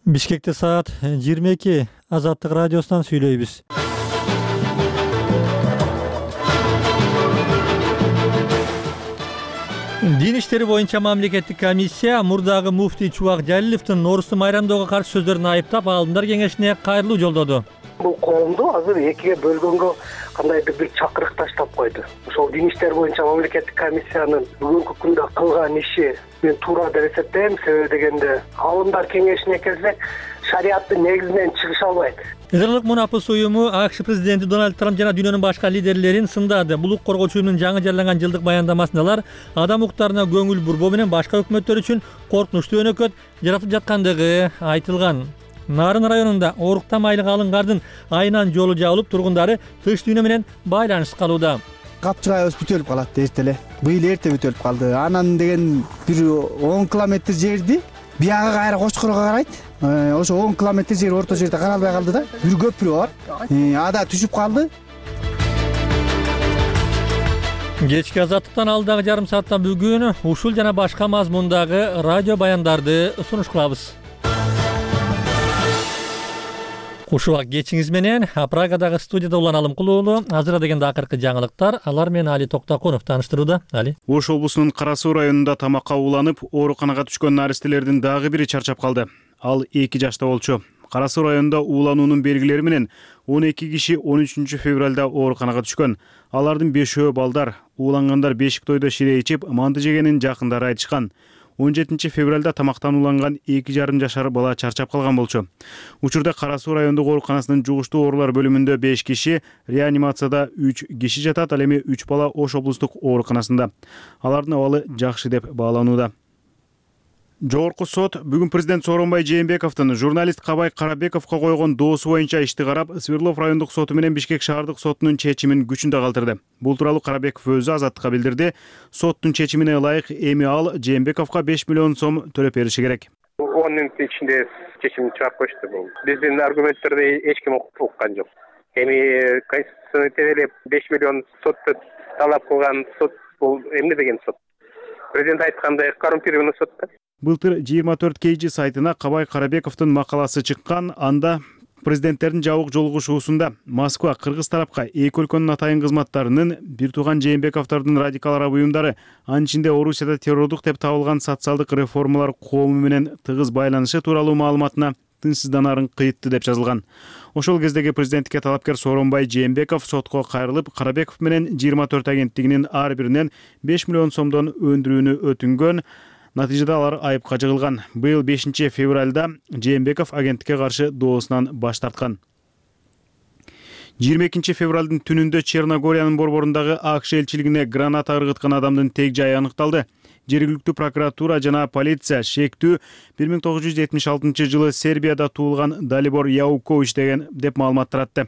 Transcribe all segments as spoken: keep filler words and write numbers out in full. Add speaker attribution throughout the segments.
Speaker 1: Бишкекте саат жыйырма эки. Азаттык радиосунан сүйлөйбүз. Дин иштери боюнча мамлекеттик комиссия мурдагы муфтий Чубак Жалиловдун Норусту майрамдоого каршы сөздөрүн айыптап, Аалымдар кеңешине кайрылуу жолдоду.
Speaker 2: Бул коомду азыр экиге бөлгөнгө кандайдыр бир чакырык таштап койду. Ошол дин иштери боюнча мамлекеттик комиссиянын бүгүнкү күндө кылган иши мен туура деп эсептейм. Себеби дегенде Аалымдар кеңешине келсек, шариаттын негизинен чыгыша албайт.
Speaker 1: Эдерлик Мунапыс уюму АКШ президенти Дональд Трамп жана дүйнөнүн башка лидерлерин сындады. Бул укук коргоочу уюмдун жаңы жарыяланган жылдык баяндамасында алар адам укуктарына көңүл бурбоо менен башка өкмөттөр үчүн коркунучтуу өнөкөт жаратып жаткандыгы айтылган. Нарын районунда ооруктан айлык алынгардын айынан жолу жабылып, тургундары тыш дүйнө менен байланыш калууда.
Speaker 3: Капчыгайыбыз бүтөлүп калат эрте эле. Быйыл эрте бүтөлүп калды. Анан деген бир он километр жерди бияга кайра Кочкорго карайт. Ошо он километр жер орто жерде каралбай калды да. Бир көпүрө бар. Ада түшүп калды.
Speaker 1: Кечки Азаттыктан алдагы жарым саатта бүгүн ушул жана башка мазмундагы радио баяндарды сунуш кылабыз. Кушубак кечиңиз менен Прагадагы студияда Улан Алымкулуулу. Азыр дегенде акыркы жаңылыктар. Алар менен Али Токтакунов тааныштырууда. Али.
Speaker 4: Ош облусунун Кара Суу районунда тамакка уланып, ооруканага түшкөн наристелердин дагы бири чарчап калды. Ал эки жашта болчу. Кара Суу районунда уулануунун белгилери менен он эки киши он үчүнчү февралда ооруканага түшкөн. Алардын бешөө балдар. Уулангандар бешик тойдо шире ичип, манты жегенин жакындары айтышкан. он жетинчи февралда тамактан уланган эки жарым жашар бала чарчап калган болчу. Учурда Кара Суу райондук ооруканасынын жугуштуу оорулар бөлүмүндө беш киши, реанимацияда үч киши жатат, ал эми үч бала Ош облустук ооруканасында. Алардын абалы жакшы деп бааланууда. Жогорку сот бүгүн президент Сооронбай Жээнбековдун журналист Кабай Карабековго койгон доосу боюнча ишти карап, Свердлов райондук соту менен Бишкек шаардык сотунун чечимин күчүндө калтырды. Бул тууралуу Карабеков өзү Азаттыкка билдирди. Соттун чечимине ылайык эми ал Жээнбековго беш миллион сом төлөп бериши керек.
Speaker 5: он мүнөттүн ичинде чечим чыгарып коюшту. Бул биздин аргументтерди эч ким уккан жок. Эми конституцияны тебелеп беш миллион сотто талап кылган сот бул эмне деген сот? Президент айткандай коррумпированный сот да.
Speaker 4: Былтыр жыйырма төрт кей жи сайтына Кабай Карабековдун макаласы чыккан. Анда президенттердин жабык жолугушуусунда Москва кыргыз тарапка эки өлкөнүн атайын кызматтарынын бир тууган Жээнбековдордун радикал араб уюмдары, анын ичинде Орусияда террордук деп табылган социалдык реформалар коому менен тыгыз байланышы тууралуу маалыматына тынчсызданаарын кыйытты деп жазылган. Ошол кездеги президенттикке талапкер Сооронбай Жээнбеков сотко кайрылып, Карабеков менен жыйырма төрт агенттигинин ар биринен беш миллион сомдон өндүрүүнү өтүнгөн. Натыйжада алар айыпка жыгылган. Быйыл бешинчи февралда Жээнбеков агенттикке каршы доосунан баш тарткан. жыйырма экинчи февралдын түнүндө Черногориянын борборундагы АКШ элчилигине граната ыргыткан адамдын тег жайы аныкталды. Жергиликтүү прокуратура жана полиция шектүү бир миң тогуз жүз жетимиш алтынчы жылы Сербияда туулган Далибор Яукович деген деп маалымат таратты.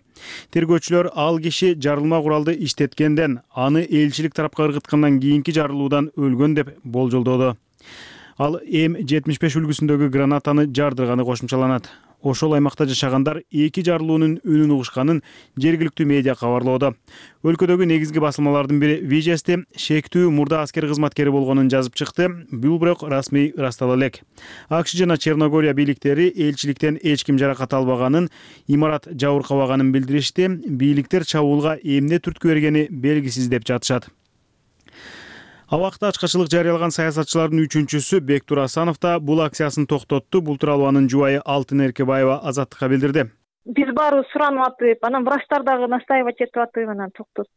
Speaker 4: Тергөөчүлөр ал киши жарылма куралды иштеткенден, аны элчилик тарапка ыргыткандан кийинки жарылуудан өлгөн деп болжолдоду. Ал М жетимиш беш үлгүсүндөгү гранатаны жардырганы кошумчаланат. Ошол аймакта жашагандар эки жарылуунун үнүн угушканын жергиликтүү медиа кабарлоодо. Өлкөдөгү негизги басылмалардын бири Вижести шектүү мурда аскер кызматкери болгонун жазып чыкты. Бул бирок расмий ырастала элек. АКШ жана Черногория бийликтери элчиликтен эч ким жаракат албаганын, имарат жабыркабаганын билдиришти. Бийликтер чабуулга эмне түрткү бергени белгисиз деп жатышат. Абакта ачкачылык жарыялаган саясатчылардын үчүнчүсү Бектур Асанов да бул акциясын токтотту. Бул тууралуу анын жубайы Алтын Эркебаева Азаттыкка билдирди.
Speaker 6: Биз барыбыз суранып атып, анан врачтар дагы настаивать этип атып, анан токтот.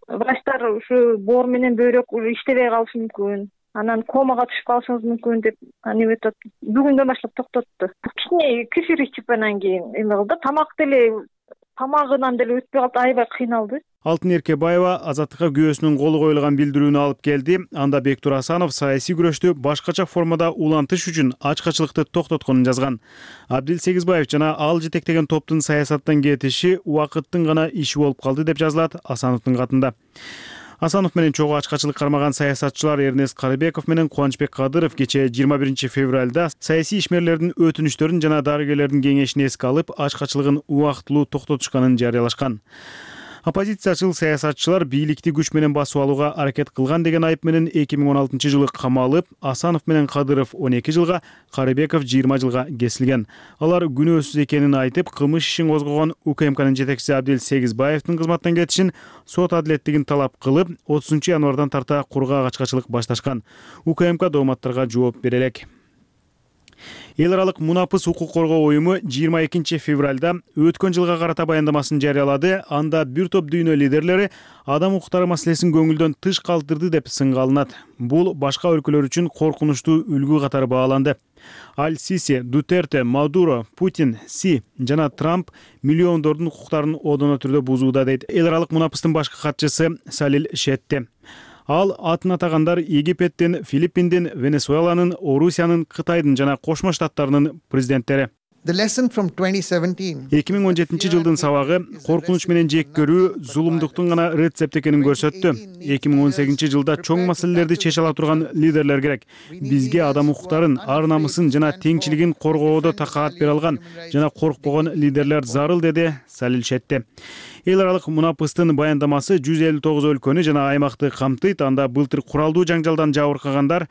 Speaker 6: Врачтар ушу боор менен бөйрөк иштебей калышы мүмкүн. Анан комага түшүп калышыңыз мүмкүн деп аны өтөт. Бүгүндөн баштап токтотту. Кичине кефир ичип анан кийин эме кылды. Тамак деле тамагынан деле өтпөй калды, аябай кыйналды.
Speaker 4: Алтын Эркебаева Азаттыкка күйөөсүнүн колу коюлган билдирүүнү алып келди. Анда Бектур Асанов саясий күрөштү башкача формада улантыш үчүн ачкачылыкты токтотконун жазган. Абдил Сегизбаев жана ал жетектеген топтун саясаттан кетиши убакыттын гана иши болуп калды деп жазылат Асановдун катында. Асанов менен чогуу ачкачылык кармаган саясатчылар Эрнест Карыбеков менен Кубанычбек Кадыров кечээ жыйырма биринчи февралда саясий ишмерлердин өтүнүчтөрүн жана дарыгерлердин кеңешин эске алып, ачкачылыгын убактылуу токтотушканын жарыялашкан. Оппозициячыл саясатчылар бийликти күч менен басып алууга аракет кылган деген айып менен эки миң он алтынчы жылы камалып, Асанов менен Кадыров он эки жылга, Карыбеков жыйырма жылга кесилген. Алар күнөөсүз экенин айтып, кылмыш ишин козгогон УКМКнын жетекчиси Абдел Сегизбаевдин кызматтан кетишин, сот адилеттигин талап кылып, отузунчу январдан тарта кургак ачкачылык башташкан. УКМК дооматтарга жооп бере элек. Эл аралык мунапыс укук коргоо уюму жыйырма экинчи февралда өткөн жылга карата баяндамасын жарыялады. Анда бир топ дүйнө лидерлери адам укуктары маселесин көңүлдөн тыш калтырды деп сынга алынат. Бул башка өлкөлөр үчүн коркунучтуу үлгү катары бааланды. Аль-Сиси, Дутерте, Мадуро, Путин, Си жана Трамп миллиондордун укуктарын одоно түрдө бузууда дейт эл аралык мунапыстын башкы катчысы Салил Шетте. Ал атын атагандар Египеттин, Филиппиндин, Венесуэланын, Орусиянын, Кытайдын жана Кошмо Штаттарынын президенттери. эки миң он жетинчи жылдын сабагы коркунуч менен жек көрүү, зулумдуктун гана рецепти экенин көрсөттү. эки миң он сегизинчи жылда чоң маселелерди чече ала турган лидерлер керек. Бизге адам укуктарын, ар намысын жана теңчилигин коргоодо такаат бере алган жана коркпогон лидерлер зарыл, деди Салил Шетте. Эл аралык мунапыстын баяндамасы жүз элүү тогуз өлкөнү жана аймакты камтыйт. Анда былтыр куралдуу жаңжалдан жабыркагандар,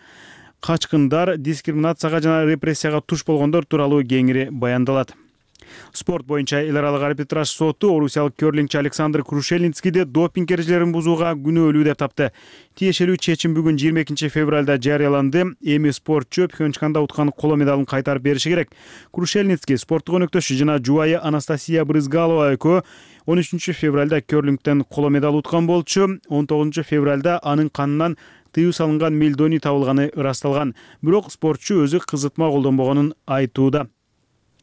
Speaker 4: качкындар, дискриминацияга жана репрессияга туш болгондор тууралуу кеңири баяндалат. Спорт боюнча эл аралык арбитраж соту орусиялык керлингчи Александр Крушельницкийди допинг эрежелерин бузууга күнөөлүү деп тапты. Тиешелүү чечим бүгүн жыйырма экинчи февралда жарыяланды. Эми спортчу Пхенчханда уткан коло медалын кайтарып бериши керек. Крушельницкий спорттук өнөктөшү жана жубайы Анастасия Брызгалова экөө он үчүнчү февралда керлингтен коло медаль уткан болчу. он тогузунчу февралда анын канынан тыюу салынган мельдоний табылганы ырасталган. Бирок спортчу өзү кызытма колдонбогонун айтууда.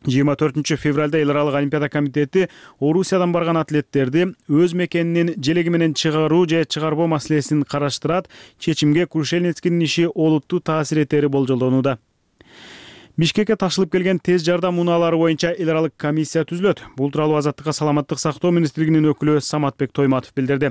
Speaker 4: жыйырма төртүнчү февралда эл аралык олимпиада комитети Орусиядан барган атлеттерди өз мекенинин желеги менен чыгаруу же чыгарбоо маселесин караштырат. Чечимге Крушельницкийдин иши олуттуу таасир этери болжолдонууда. Бишкекке ташылып келген тез жардам унаалары боюнча эл аралык комиссия түзүлөт. Бул тууралуу Азаттыкка саламаттык сактоо министрлигинин өкүлү Саматбек Тойматов билдирди.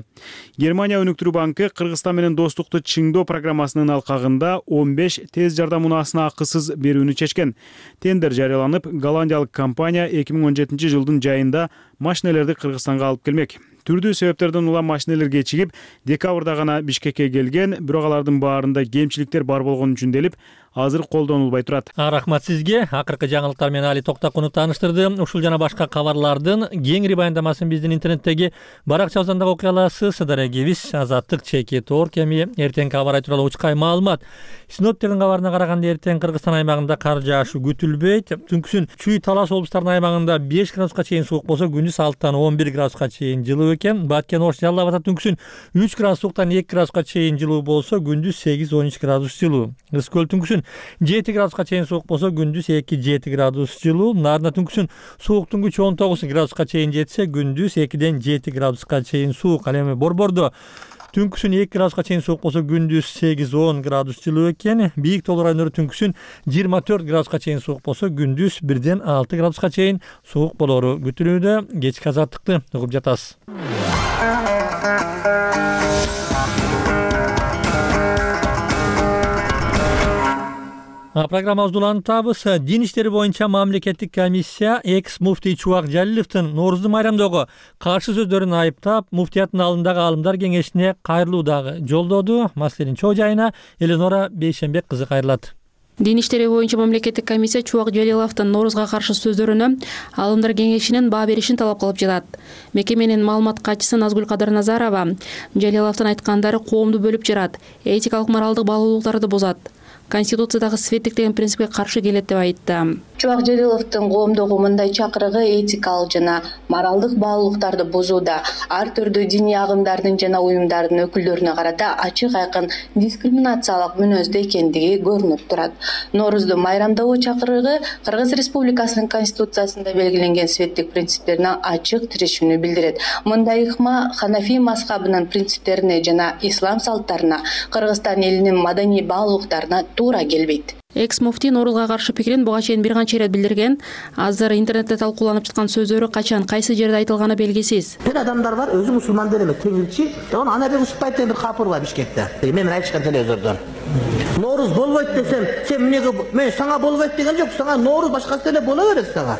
Speaker 4: Германия өнүктүрүү банкы Кыргызстан менен достукту чыңдоо программасынын алкагында он беш тез жардам унаасына акысыз берүүнү чечкен. Тендер жарыяланып, голландиялык компания эки миң он жетинчи жылдын жайында машинелерди Кыргызстанга алып келмек. Түрдүү себептерден улам машинелер кечигип, декабрда гана Бишкекке келген, бирок алардын баарында кемчиликтер бар болгон үчүн делип, азыр колдонулбай турат.
Speaker 1: Рахмат сизге. Акыркы жаңылыктар менен Али Токтакунов тааныштырды. Ушул жана башка кабарлардын кеңири баяндамасын биздин интернеттеги баракчабыздан дагы окуй аласыз. Дарегибиз Азаттык чекит ор кеми эртең кабар тууралуу учкай маалымат. Синоптиктердин кабарына караганда эртең Кыргызстан аймагында кар жаашуу күтүлбөйт. Түнкүсүн Чүй Талас облустарынын аймагында беш градуска чейин суук болсо, күндүз алтыдан он бир градуска чейин жылуу экен. Баткен, Ош, Жалал Абад түнкүсүн үч градус сууктан эки градуска чейин жылуу болсо, күндүз сегиз он үч градус жылуу. Ысык көл түнкүсүн жети градуска чейин суук болсо, күндүз эки жети градус жылуу. Нарында түнкүсүн сууктун күчү он тогуз градуска чейин жетсе, күндүз экиден жети градуска чейин суук. Ал эми Борбордо түнкүсүн эки градуска чейин суук болсо, күндүз сегиз он градус жылуу экен. Бийик Тоол райондору түнкүсүн жыйырма төрт градуска чейин суук болсо, күндүз бирден алты градуска чейин суук болору күтүлүүдө. Кечки азаттыкты угуп жатасыз. Программабызды улантабыз. Дин иштери боюнча мамлекеттик комиссия экс муфтий Чубак Жалиловдун Нооруздун майрамдагы каршы сөздөрүн айыптап, муфтияттын алдындагы алымдар кеңешине кайрылуу дагы жолдоду. Маселенин чоо жайына Эленора Бейшенбек кызы кайрылат.
Speaker 7: Дин иштери боюнча мамлекеттик комиссия Чубак Жалиловдун Ноорузга каршы сөздөрүнө алымдар кеңешинин баа беришин талап кылып жатат. Мекеменин маалымат катчысы Назгүл Кадарназарова Жалиловдун айткандары коомду бөлүп жарат, этикалык моралдык баалуулуктарды бузат, Конституциядагы светтик деген принципке каршы келет деп айтты.
Speaker 8: Чубак Жалиловдун коомдогу мындай чакырыгы этикалык жана моралдык баалуулуктарды бузууда, ар түрдүү диний агымдардын жана уюмдардын өкүлдөрүнө карата ачык айкын дискриминациялык мүнөздө экендиги көрүнүп турат. Нооруздун майрамдагы чакырыгы Кыргыз Республикасынын Конституциясында белгиленген светтик принциптерине ачык тирешүүнү билдирет. Мындай ыкма Ханафи мазхабынын принциптерине жана ислам салттарына, Кыргызстан элинин маданий баалуулуктарына туура келбейт.
Speaker 7: Экс муфтий Норузга каршы пикирин буга чейин бир канча ирет билдирген. Азыр интернетте талкууланып жаткан сөздөрү качан, кайсы жерде айтылганы белгисиз.
Speaker 9: Бир адамдар бар, өзү мусулман деле эмес, теңирчи. Оны Анабек Усупбаев деген бир капыр бар Бишкекте. Мен айтышкан телевизордон. Норуз болбойт десем, сен эмнеге мен сага болбойт деген жок, сага Норуз башкасы деле боло берет сага.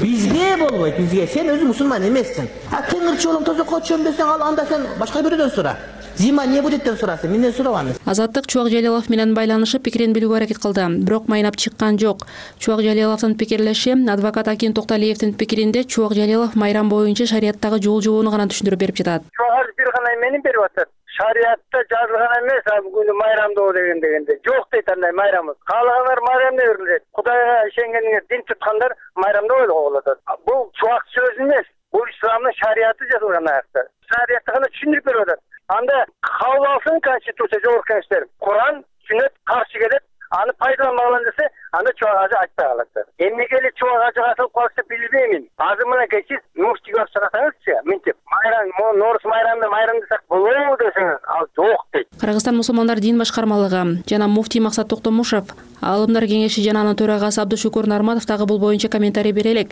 Speaker 9: Бизге болбойт, бизге. Сен өзү мусулман эмессиң. А теңирчи болом, тозокко чөм десең, ал анда сен башка бирөөдөн сура. Зима не будет деп сурасың, менден сурабаңыз.
Speaker 7: Азаттык Чубак Жалилов менен байланышып пикирин билүүгө аракет кылды, бирок майнап чыккан жок. Чубак Жалиловдун пикирлеши адвокат Акин Токталиевдин пикиринде Чубак Жалилов майрам боюнча шарияттагы жол жобону гана түшүндүрүп берип жатат.
Speaker 10: Чубак бир гана эмени берип атат. Шариятта жазылган эмес, бүгүн майрамдоо деген дегенде. Жок дейт андай майрамы. Каалагандар майрамда өрүлөт. Кудайга ишенгендер, дин туткандар майрамда ойлоп атат. Бул чубак сөз эмес. Бул исламдын шарияты жазылган аякта. Шариятты гана түшүндүрүп берип атат. Анда кабыл алсын конституция жогорку кеңештер. Куран, сүннөт каршы келет. Аны пайдаланбаган десе, анда чубак ажы айтпай калат. Эмнеге эле чубак ажы катылып калса билбеймин. Азыр мына кечиз муфтийге чыгасаңызчы, мынтип майрам, Норус майрамда майрам десек болобу десеңиз, ал жок дейт.
Speaker 7: Кыргызстан мусулмандар дин башкармалыгы жана муфтий Максат Токтомушев, Аалымдар кеңеши жана анын төрагасы Абдушукур Нарматов дагы бул боюнча комментарий бере элек.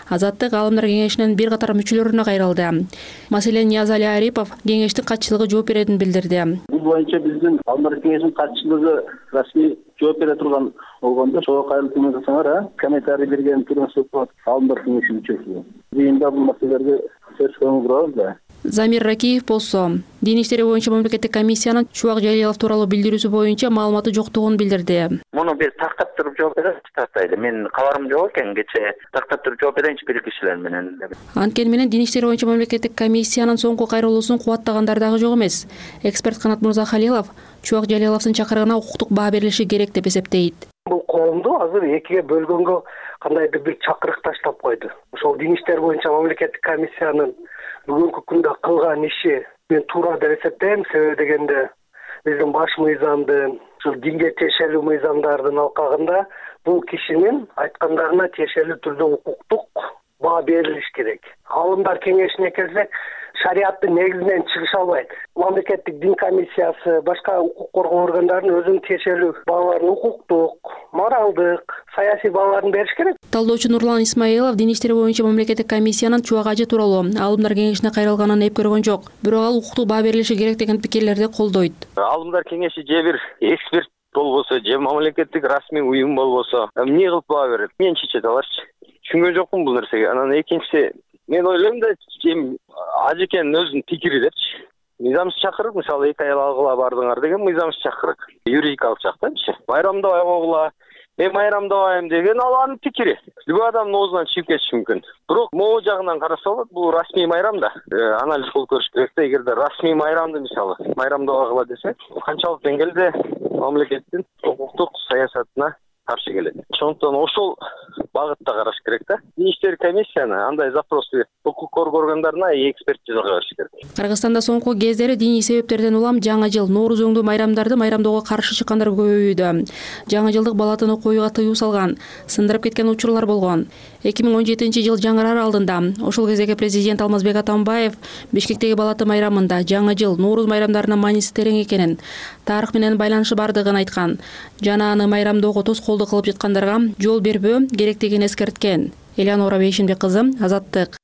Speaker 7: Азаттык Аалымдар кеңешинин бир катар мүчөлөрүнө кайрылды. Маселен, Ниязали Арипов кеңештин катчылыгы жооп беретин билдирди.
Speaker 11: Бул боюнча биздин Аалымдар кеңешинин катчылыгы расмий жооп бере турган болгондо ошого кайрылып көмөктөсөңөр, комментарий берген Турмушев Аалымдар кеңешинин мүчөсү. Жыйында бул маселелерге сөз көңүл бурабыз да.
Speaker 7: Замир Ракиев болсо, дин иштери боюнча мамлекеттик комиссиянын Чубак Жалилов тууралуу билдирүүсү боюнча маалыматы жоктугун билдирди.
Speaker 12: Муну биз тактап туруп жооп беребиз, тактайды. Мен кабарым жок экен, кечээ тактап туруп жооп берейинчи бир кишилер менен.
Speaker 7: Анткени менен дин иштери боюнча мамлекеттик комиссиянын соңку кайрылуусун кубаттагандар дагы жок эмес. Эксперт Канат Мырзахалилов Чубак Жалиловдун чакырыгына укуктук баа берилиши керек деп эсептейт.
Speaker 2: Бул коомду азыр экиге бөлгөнгө кандайдыр бир чакырык таштап койду. Ошол дин иштери боюнча мамлекеттик комиссиянын бүгүнкү күндө кылган иши мен туура деп эсептейм. Себеби дегенде биздин баш мыйзамдын, ушул динге тиешелүү мыйзамдардын алкагында бул кишинин айткандарына тиешелүү түрдө укуктук баа берилиш керек. Аалымдар кеңешине келсек, шарияттын негизинен чыгыша албайт. Мамлекеттик дин комиссиясы, башка укук коргоо органдарынын өзүнүн тиешелүү бааларын укуктук, моралдык, саясий бааларын бериш керек.
Speaker 7: Талдоочу Нурлан Исмаилов дин иштери боюнча мамлекеттик комиссиянын Чубак ажы тууралуу Аалымдар кеңешине кайрылганын эп көргөн жок. Бирок ал укуктук баа берилиши керек деген пикирлерди колдойт.
Speaker 13: Аалымдар кеңеши же бир эксперт болбосо, же мамлекеттик расмий уюм болбосо, эмне кылып баа берет? Мен чечет аларчы. Түшүнгөн жокмун бул нерсеге. Анан экинчиси, мен ойлойм да, ажекенин өзүнүн пикири депчи. Мыйзамсыз чакырык, мисалы эки аял алгыла бардыңар деген мыйзамсыз чакырык, юридикалык жактанчы. Майрамдабай койгула, мен майрамдабайм деген ал анын пикири. Любой адамдын оозунан чыгып кетиши мүмкүн. Бирок могу жагынан караса болот, бул расмий майрам да. Анализ кылып көрүш керек да, эгерде расмий майрамды мисалы майрамдабайгыла десек, канчалык деңгээлде мамлекеттин укуктук саясатына каршы келет. Ошондон ошол багытта караш керек да. Дин иштери комиссияны андай запросту укук коргоо органдарына экспертизага бериш керек.
Speaker 7: Кыргызстанда соңку кездери диний себептерден улам жаңы жыл, Нооруз өңдүү майрамдарды майрамдоого каршы чыккандар көбөйүүдө. Жаңы жылдык балатын окуууга тыюу салган, сындырып кеткен учурлар болгон. эки миң он жетинчи жыл жаңырар алдында ошол кездеги президент Алмазбек Атамбаев Бишкектеги балаты майрамында жаңы жыл, Нооруз майрамдарынын мааниси терең экенин, тарых менен байланышы бардыгын айткан жана аны майрамдоого тоскоолдук кылып жаткандарга жол бербөө керектигин эскерткен. Элеонора Бейшинбек кызы, Азаттык.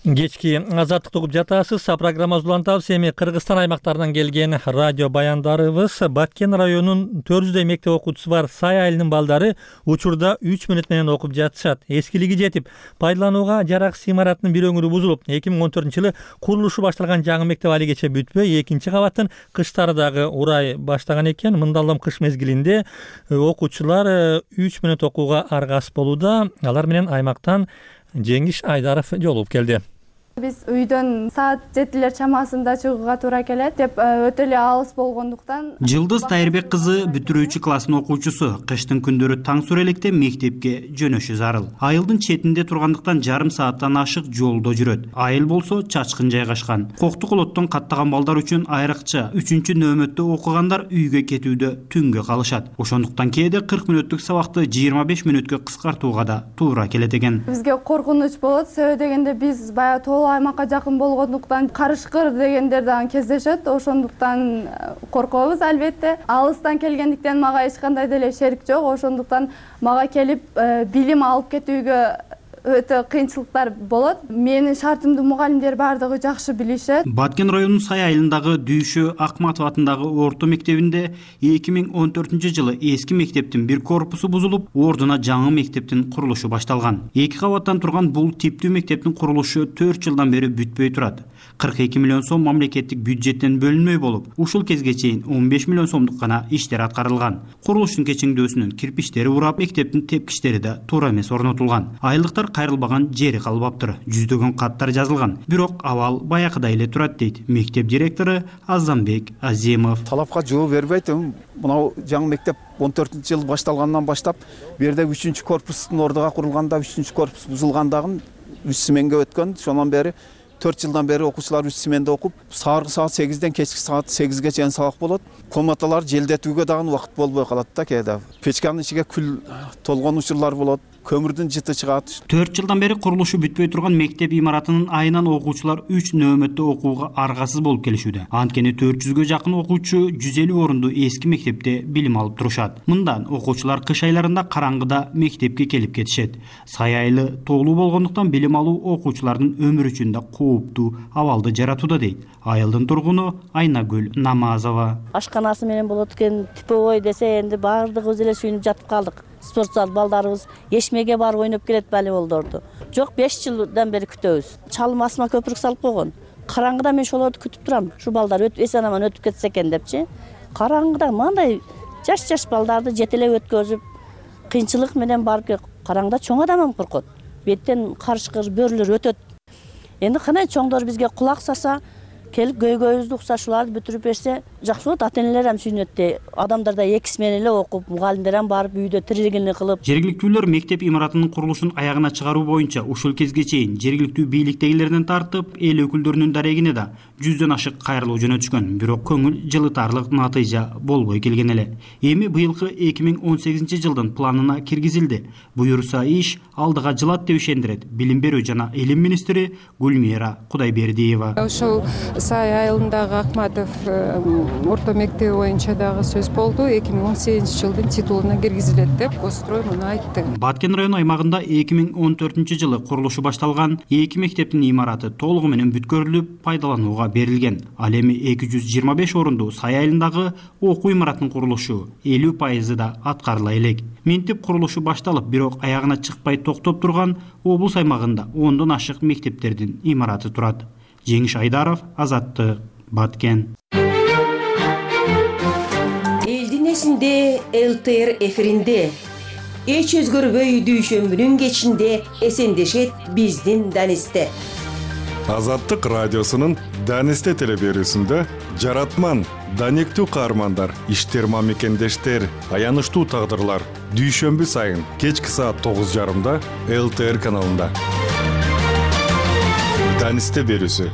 Speaker 1: Кечки Азаттыкты угуп жатасыз. Программабызды улантабыз. Эми Кыргызстан аймактарынан келген радио баяндарыбыз. Баткен районунун төрт жүздөй мектеп окуучусу бар Сай айылынын балдары учурда үч мүнөт менен окуп жатышат. Эскилиги жетип, пайдаланууга жараксыз имараттын бир өңүрү бузулуп, эки миң он төртүнчү жылы курулушу башталган жаңы мектеп али кече бүтпөй, экинчи кабаттын кыштары дагы урай баштаган экен. Мындалам кыш мезгилинде окуучулар үч мүнөт окууга аргасыз болууда. Алар менен аймактан Жеңиш Айдаров жолугуп келди.
Speaker 14: Биз үйдөн саат жетилер чамасында чыгууга туура келет деп өтө эле алыс болгондуктан.
Speaker 15: Жылдыз Тайырбек кызы бүтүрүүчү класстын окуучусу. Кыштын күндөрү таң сурелекте мектепке жөнөшү зарыл. Айылдын четинде тургандыктан жарым сааттан ашык жолдо жүрөт. Айыл болсо чачкын жайгашкан. Коктук олоттон каттаган балдар үчүн айрыкча үчүнчү нөөмөттө окугандар үйгө кетүүдө түнгө калышат. Ошондуктан кээде кырк мүнөттүк сабакты жыйырма беш мүнөткө кыскартууга да туура келет экен.
Speaker 14: Бизге коркунуч болот, себеби дегенде биз баягы сол аймакка жакын болгондуктан карышкыр дегендер дагы кездешет. Ошондуктан коркобуз албетте. Алыстан келгендиктен мага эч кандай деле шерик жок. Ошондуктан мага келип билим алып кетүүгө өтө кыйынчылыктар болот. Менин шартымды мугалимдер бардыгы жакшы билишет.
Speaker 15: Баткен районунун Сай айылындагы Дүйшө Акматов атындагы орто мектебинде эки миң он төртүнчү жылы эски мектептин бир корпусу бузулуп, ордуна жаңы мектептин курулушу башталган. Эки кабаттан турган бул типтүү мектептин курулушу төрт жылдан бери бүтпөй турат. кырк эки миллион сом мамлекеттик бюджеттен бөлүнмөй болуп, ушул кезге чейин он беш миллион сомдук гана иштер аткарылган. Курулуштун кечиңдөөсүнүн кирпичтери урап, мектептин тепкичтери да туура эмес орнотулган. Айылдыктар кайрылбаган жери калбаптыр. Жүздөгөн каттар жазылган. Бирок абал баякыдай эле турат дейт мектеп директору Азамбек Азимов.
Speaker 16: Талапка жооп бербейт. Мына жаңы мектеп он төртүнчү жыл башталгандан баштап, бу жерде үчүнчү корпустун ордуга курулганда, үчүнчү корпус бузулгандагы үч сменге өткөн. Шондан бери төрт жылдан бери окуучулар үч сменде окуп, сааркы саат сегизден кечки саат сегизге чейин сабак болот. Комнаталар желдетүүгө дагы убакыт болбой калат да кээде. Печканын ичиге күл толгон учурлар болот. Көмүрдүн жыты чыгат. төрт жылдан бери курулушу бүтпөй турган мектеп имаратынын айынан окуучулар үч нөөмөттө окууга аргасыз болуп келишүүдө. Анткени төрт жүзгө жакын окуучу жүз элүү орунду эски мектепте билим алып турушат. Мындан окуучулар кыш айларында караңгыда мектепке келип кетишет. Сай айылы тоолуу болгондуктан билим алуу окуучулардын өмүрү үчүн да кооптуу абалды жаратууда дейт айылдын тургуну Айнагүл Намазова.
Speaker 17: Ашканасы менен болот экен, типовой десе энди баардыгыбыз эле сүйүнүп жатып калдык. Спорт зал балдарыбыз эшмеге барып ойноп келет волейболдорду. Жок, беш жылдан бери күтөбүз. Чалым асма көпүрүк салып койгон. Караңгыда мен ошолорду күтүп турам. Ушу балдар өтүп эсен аман өтүп кетсе экен депчи. Караңгыда мындай жаш-жаш балдарды жетелеп өткөзүп, кыйынчылык менен барып караңгыда чоң адам коркот. Беттен карышкыр бөрүлөр өтөт. Энди кандай чоңдор бизге кулак саса, келип көйгөйүбүздү укса, шуларды бүтүрүп берсе жакшы болот. Ата энелер ham сүйүнөт. Адамдар да эки смен эле окуп, мугалимдер ham барып үйдө тирилигини кылып.
Speaker 15: Жергиликтүүлөр мектеп имаратынын курулушун аягына чыгаруу боюнча ушул кезге чейин жергиликтүү бийликтегилерден тартып, эл өкүлдөрүнүн дарегине да жүздөн ашык кайрылуу жөнөтүшкөн. Бирок көңүл жылытарлык натыйжа болбой келген эле. Эми быйылкы эки миң он сегизинчи жылдын планына киргизилди. Буюрса иш алдыга жылат деп ишендирет билим берүү жана илим министри Гүлмира Кудайбердиева.
Speaker 18: Ошол Сай айылындагы Акматов орто мектеби боюнча дагы сөз болду. эки миң он сегизинчи жылдын титулуна киргизилет деп Госстрой муну айтты.
Speaker 15: Баткен району аймагында эки миң он төртүнчү жылы курулушу башталган эки мектептин имараты толугу менен бүткөрүлүп пайдаланууга берилген. Ал эми эки жүз жыйырма беш орунду Сай айылындагы окуу имаратынын курулушу элүү пайызы да аткарыла элек. Ментип курулушу башталып, бирок аягына чыкпай токтоп турган облус аймагында ондон ашык мектептердин имараты турат. Жеңиш Айдаров, Азаттык, Баткен.
Speaker 19: Элдин эсинде эл тэ эр эфиринде эч өзгөрбөй дүйшөмбүнүн кечинде эсендешет биздин Данисте.
Speaker 20: Азаттык радиосунун Данисте телеберүүсүндө жаратман, даниктүү каармандар, иштерма мекендештер, аянычтуу тагдырлар дүйшөмбү сайын кечки саат тогуз жарымда эл тэ эр каналында. Данисте берүүсү.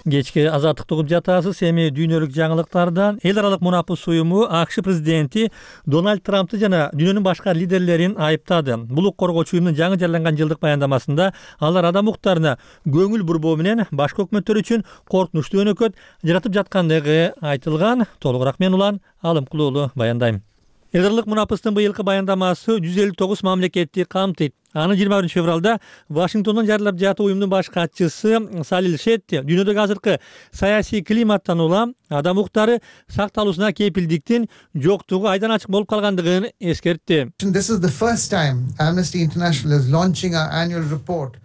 Speaker 1: Кечки азаттыкты угуп жатасыз. Эми дүйнөлүк жаңылыктардан эл аралык мунапыс уюму АКШ президенти Дональд Трампты жана дүйнөнүн башка лидерлерин айыптады. Булук коргоочу уюмдун жаңы жарыяланган жылдык баяндамасында алар адам укуктарына көңүл бурбоо менен башка өкмөттөр үчүн коркунучтуу өнөкөт жаратып жаткандыгы айтылган. Толугураак мен Улан Алымкулуу уулу баяндайм. Эл аралык мунапыстын быйылкы баяндамасы жүз элүү тогуз мамлекетти камтыйт. Аны жыйырма биринчи февралда Вашингтондон жарыялап жатуу уюмдун баш катчысы Салил Шетти дүйнөдөгү азыркы саясий климаттан улам адам укуктары сакталуусуна кепилдиктин жоктугу айдан ачык болуп калгандыгын эскертти.
Speaker 21: This is the first time Amnesty International is launching our annual report.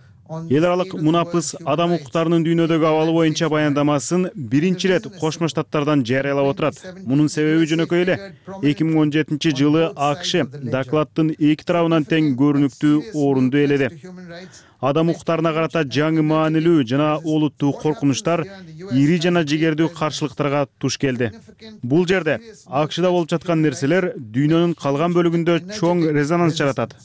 Speaker 4: Эл аралык мунапыс адам укуктарынын дүйнөдөгү абалы боюнча баяндамасын биринчи ирет Кошмо Штаттардан жарыялап отурат. Мунун себеби жөнөкөй эле. эки миң он жетинчи жылы АКШ докладдын эки тарабынан тең көрүнүктүү орунду ээледи. Адам укуктарына карата жаңы маанилүү жана олуттуу коркунучтар ири жана жигердүү каршылыктарга туш келди. Бул жерде АКШда болуп жаткан нерселер дүйнөнүн калган бөлүгүндө чоң резонанс жаратат.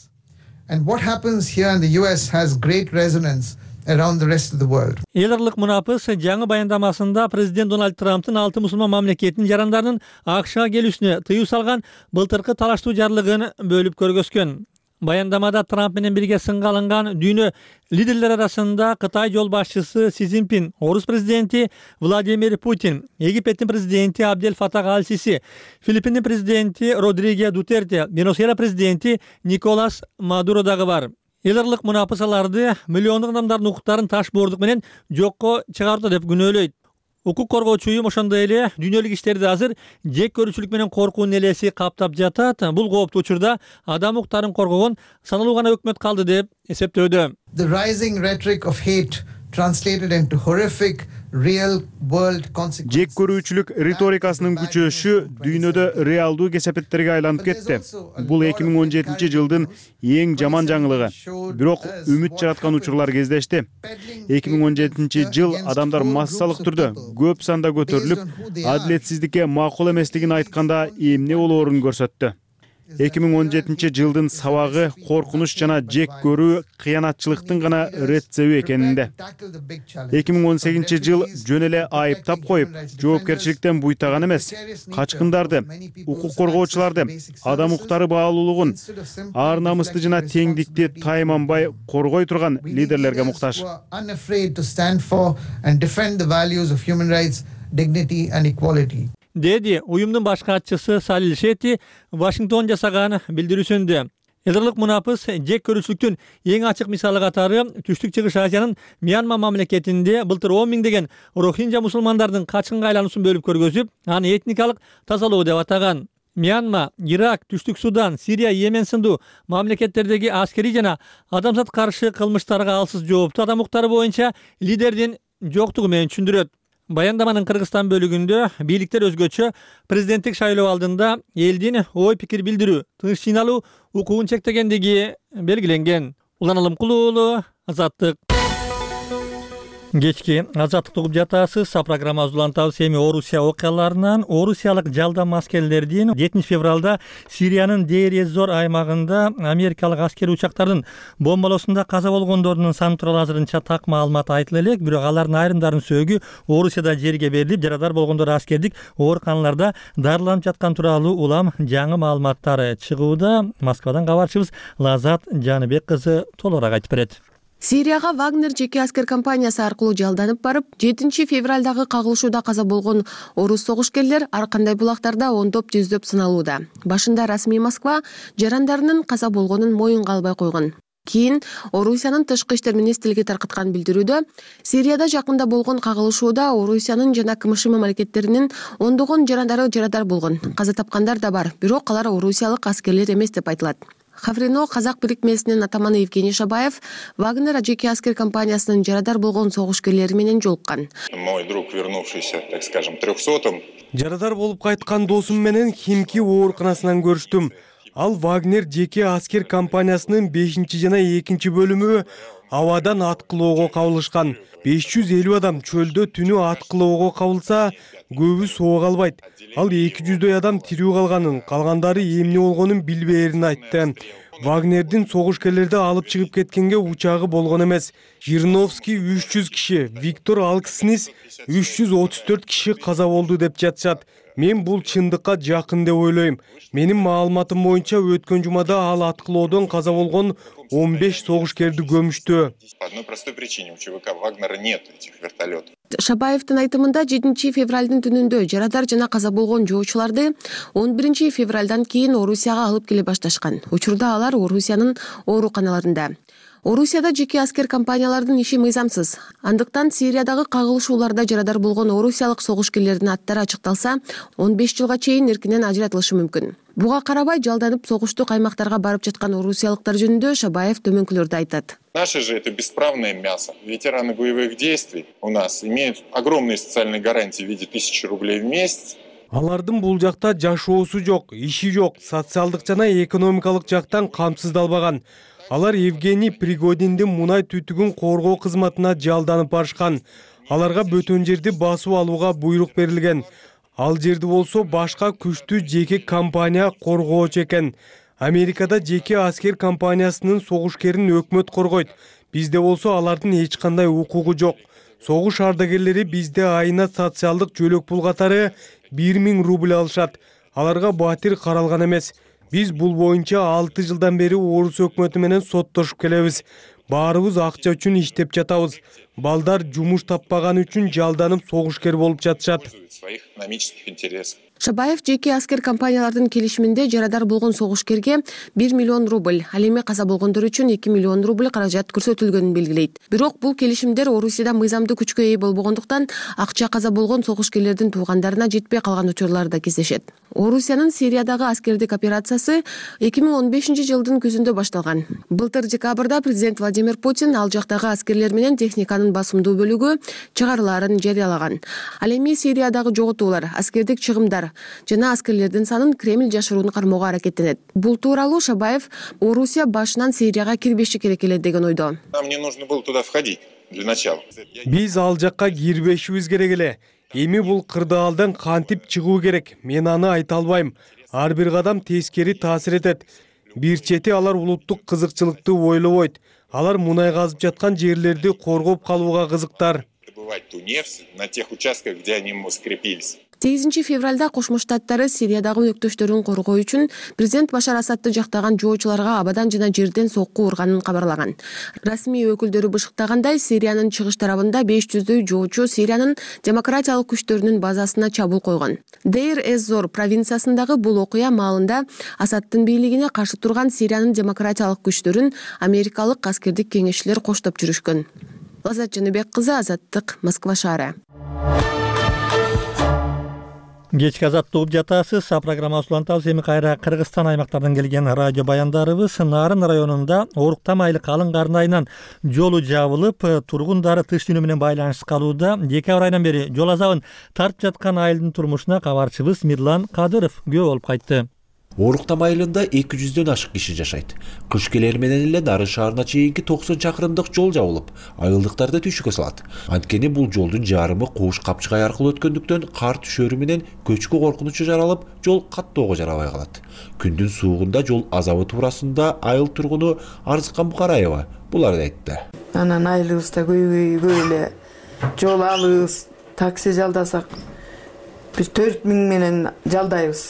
Speaker 21: And what happens here in the U S has great resonance around the rest of the world.
Speaker 1: Эл аралык мунапыс жаңы баяндамасында президент Дональд Трамптын алты мусулман мамлекеттин жарандарынын АКШга келүүсүнө тыюу салган былтыркы талаштуу жарлыгын бөлүп көргөзгөн. Баяндамада Трамп менен бирге сынга алынган дүйнө лидерлери арасында Кытай жол башчысы Си Цзиньпин, Орус президенти Владимир Путин, Египеттин президенти Абдель Фатах аль-Сиси, Филиппиндин президенти Родриго Дутерте, Венесуэла президенти Николас Мадуро дагы бар. Элдарлык мунапысаларды миллиондук адамдардын укуктарын таш боордук менен жокко чыгарды деп күнөөлөйт. Укук коргоочу уюм ошондой эле дүйнөлүк иштерди азыр жек көрүүчүлүк менен коркуунун элеси каптап жатат. Бул кооптуу учурда адам укуктарын коргогон саналуу гана өкмөт калды деп эсептөөдө.
Speaker 21: The rising rhetoric of hate translated into horrific real world consequences.
Speaker 4: Жек көрүүчүлүк риторикасынын күчөшү дүйнөдө реалдуу кесепеттерге айланып кетти. Бул эки миң он жетинчи жылдын эң жаман жаңылыгы. Бирок үмүт жараткан учурлар кездешти. эки миң он жетинчи жыл адамдар массалык түрдө көп санда көтөрүлүп, адилетсиздикке макул эместигин айтканда эмне болоорун көрсөттү. эки миң он жетинчи жылдын сабагы коркунуч жана жек көрүү кыянатчылыктын гана рецеби экенинде. эки миң он сегизинчи жыл жөн эле айыптап коюп, жоопкерчиликтен буйтаган эмес, качкындарды, укук коргоочуларды, адам укуктары баалуулугун, ар намысты жана теңдикти тайманбай коргой турган лидерлерге муктаж. Деди уюмдун баш катчысы Салил Шети Вашингтон жасаган билдирүүсүндө. Элдерлык мунапыс жек көрүүчүлүктүн эң ачык мисалы катары Түштүк Чыгыш Азиянын Мьянма мамлекетинде былтыр он миңдеген рохинжа мусулмандардын качкынга айлануусун бөлүп көргөзүп, аны этникалык тазалоо деп атаган. Мьянма, Ирак, Түштүк Судан, Сирия, Йемен сындуу мамлекеттердеги аскерий жана адамзат каршы кылмыштарга алсыз жооптуу адам укуктары боюнча лидердин жоктугу менен түшүндүрөт. Баяндаманын Кыргызстан бөлүгүндө бийликтер өзгөчө президенттик шайлоо алдында элдин ой пикир билдирүү, тынч жыйналуу укугун чектегендиги белгиленген. Улан Алымкулуу уулу, Азаттык. Кечки Азаттык угуп жатасыз. Программабызды улантабыз эми Орусия окуяларынан. Орусиялык жалдам аскерлердин жетинчи февралда Сириянын Дейр-эз-Зор аймагында америкалык аскери учактардын бомбалоосунда каза болгондордун саны тууралуу азырынча так маалымат айтыла элек, бирок алардын айрымдарынын сөөгү Орусияда жерге берилип, жарадар болгондор аскердик ооруканаларда дарыланып жаткан тууралуу улам жаңы маалыматтар чыгууда. Москвадан кабарчыбыз Лазат Жаныбек кызы толугураак айтып берет.
Speaker 3: Сирияга Вагнер жеке аскер компаниясы аркылуу жалданып барып, жетинчи февралдагы кагылышууда каза болгон орус согушкерлер ар кандай булактарда ондоп жүздөп сыналууда. Башында расмий Москва жарандарынын каза болгонун моюнга албай койгон. Кийин Орусиянын тышкы иштер министрлиги таркаткан билдирүүдө Сирияда жакында болгон кагылышууда Орусиянын жана КМШ мамлекеттеринин ондогон жарандары жарадар болгон. Каза тапкандар да бар, бирок алар орусиялык аскерлер эмес деп айтылат. Хаврино казак бирикмесинин атаманы Евгений Шабаев Вагнер жеке аскер компаниясынын жарадар болгон согушкерлери менен жолуккан.
Speaker 22: Мой друг, вернувшийся, так скажем, трехсотым.
Speaker 23: Жарадар болуп кайткан досум менен Химки ооруканасынан көрүштүм. Ал Вагнер жеке аскер компаниясынын бешинчи жана экинчи бөлүмү абадан аткылоого кабылышкан. беш жүз элүү адам чөлдө түнү аткылоого кабылса, көбү соого албайт. Ал эки жүздөй адам тирүү калганын, калгандары эмне болгонун билбээрин айтты. Вагнердин согушкерлерди алып чыгып кеткенге учагы болгон эмес. Жириновский үч жүз киши, Виктор Алкснис үч жүз отуз төрт киши каза болду деп жатышат. Мен бул чындыкка жакын деп ойлойм. Менин маалыматым боюнча өткөн жумада ал аткылоодон каза болгон он беш согушкерди көмүштү.
Speaker 22: По одной простой причине, у ЧВК Вагнера нет этих вертолетов.
Speaker 3: Шабаевдин айтымында жетинчи февралдын түнүндө жарадар жана каза болгон жоочуларды он биринчи февралдан кийин Орусияга алып келе башташкан. Учурда алар Орусиянын ооруканаларында. Орусияда жеке аскер компаниялардын иши мыйзамсыз. Андыктан Сириядагы кагылышууларда жарадар болгон орусиялык согушкерлердин аттары ачыкталса, он беш жылга чейин эркинен ажыратылышы мүмкүн. Буга карабай жалданып согуштук аймактарга барып жаткан орусиялыктар жөнүндө Шабаев төмөнкүлөрдү айтат.
Speaker 22: Наши же это бесправное мясо. Ветераны боевых действий у нас имеют огромные социальные гарантии в виде тысячи рублей в месяц.
Speaker 23: Алардын бул жакта жашоосу жок, иши жок, социалдык жана экономикалык жактан камсыздалбаган. Алар Евгений Пригодиндин мунай түтүгүн коргоо кызматына жалданып барышкан. Аларга бөтөн жерди басып алууга буйрук берилген. Ал жерди болсо башка күчтүү жеке компания коргоочу экен. Америкада жеке аскер компаниясынын согушкерин өкмөт коргойт. Бизде болсо алардын эч кандай укугу жок. Согуш ардагерлери бизде айына социалдык жөлөк пул катары бир миң рубль алышат. Аларга батир каралган эмес. Биз бул боюнча алты жылдан бери орус өкмөтү менен соттошуп келебиз. Баарыбыз акча үчүн иштеп жатабыз. Балдар жумуш таппаганы үчүн жалданып согушкер болуп жатышат.
Speaker 3: Шабаев жеке аскер компаниялардын келишиминде жарадар болгон согушкерге бир миллион рубль, ал эми каза болгондор үчүн эки миллион рубль каражат көрсөтүлгөнүн белгилейт. Бирок бул келишимдер Орусияда мыйзамдуу күчкө ээ болбогондуктан акча каза болгон согушкерлердин туугандарына жетпей калган учурлар да кездешет. Орусиянын Сириядагы аскердик операциясы эки миң он бешинчи жылдын күзүндө башталган. Былтыр декабрда президент Владимир Путин ал жактагы аскерлер менен техниканын басымдуу бөлүгү чыгарылаарын жарыялаган. Ал эми Сириядагы жоготуулар, аскердик чыгымдар жана аскерлердин санын Кремль жашыруун кармоого аракеттенет. Бул тууралуу Шабаев Орусия башынан Сирияга кирбеши керек эле деген ойдо.
Speaker 22: Нам не нужно было туда входить для начала.
Speaker 23: Биз ал жакка кирбешибиз керек эле. Эми бул кырдаалдан кантип чыгуу керек? Мен аны айта албайм. Ар бир кадам тескери таасир этет. Бир чети алар улуттук кызыкчылыкты ойлобойт. Алар мунай казып жаткан жерлерди коргоп калууга кызыктар.
Speaker 22: Добывать ту нефть на тех участках, где они закрепились.
Speaker 3: сегизинчи февралда Кошмо Штаттары Сириядагы өнөктөштөрүн коргоо үчүн президент Башар Асадты жактаган жоочуларга абадан жана жерден сокку урганын кабарлаган. Расмий өкүлдөрү бышыктагандай, Сириянын чыгыш тарабында беш жүздөй жоочу Сириянын демократиялык күчтөрүнүн базасына чабуул койгон. Дейр-эз-Зор провинциясындагы бул окуя маалында Асадтын бийлигине каршы турган Сириянын демократиялык күчтөрүн америкалык аскердик кеңешчилер коштоп жүрүшкөн. Азат Жаныбек кызы, Азаттык, Москва шаары.
Speaker 1: Кечки азаттык угуп жатасыз. А программабыз улантабыз. Эми кайра Кыргызстан аймактардан келген радио баяндарыбыз. Нарын районунда Оруктам айыл калың карнайынан жолу жабылып, тургундары тыш дүйнө менен байланышсыз калууда. Декабрь айынан бери жол азабын тартып жаткан айылдын турмушуна кабарчыбыз Мирлан Кадыров күбө болуп кайтты.
Speaker 5: Оруктам айылында эки жүздөн ашык киши жашайт. Кыш келер менен эле Нарын шаарына чейинки токсон чакырымдык жол жабылып, айылдыктарды түйшүккө салат. Анткени бул жолдун жарымы Кууш Капчыгай аркылуу өткөндүктөн кар түшөрү менен көчкү коркунучу жаралып, жол каттоого жарабай калат. Күндүн суугунда жол азабы туурасында айыл тургуну Арзыкан Букараева буларды айтты.
Speaker 6: Анан айылыбызда көбөй эле жол алыбыз, такси жалдасак биз төрт миң менен жалдайбыз.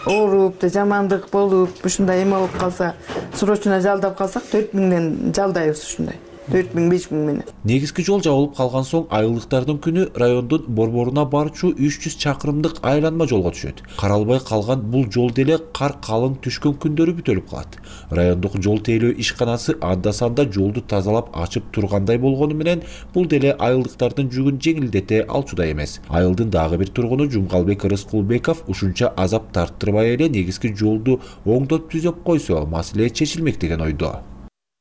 Speaker 6: Ооруп да жамандык болуп, ушундай эме болуп калса, срочно жалдап калсак төрт миңден жалдайбыз ушундай. төрт миң беш миң менен.
Speaker 5: Негизги жол жабылып калган соң айылдыктардын күнү райондун борборуна барчу үч жүз чакырымдык айланма жолго түшөт. Каралбай калган бул жол деле кар калың түшкөн күндөрү бүтөлүп калат. Райондук жол тейлөө ишканасы анда-санда жолду тазалап ачып тургандай болгону менен бул деле айылдыктардын жүгүн жеңилдете алчудай эмес. Айылдын дагы бир тургуну Жумгалбек Рыскулбеков ушунча азап тарттырбай эле негизги жолду оңдоп түзөп койсо маселе чечилмек деген ойдо.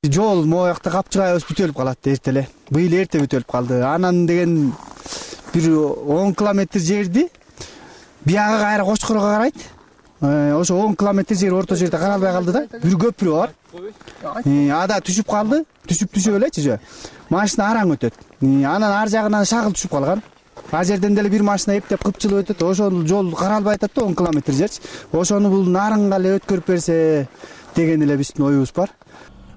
Speaker 8: Жол моякта Капчыгайыбыз бүтөлүп калат эрте эле. Быйыл эрте бүтөлүп калды. Анан деген бир он километр жерди бияга кайра Кочкорго карайт. Ошо он километр жер орто жерде каралбай калды да. Бир көпүрө бар. Ада түшүп калды. Түшүп түшүп элечи. Машина араң өтөт. Анан ар жагынан шагыл түшүп калган. А жерден деле бир машина эптеп кыпчылып өтөт. Ошол жол каралбай атат да он километр жерчи. Ошону бул нарынга эле өткөрүп берсе деген эле биздин оюбуз бар.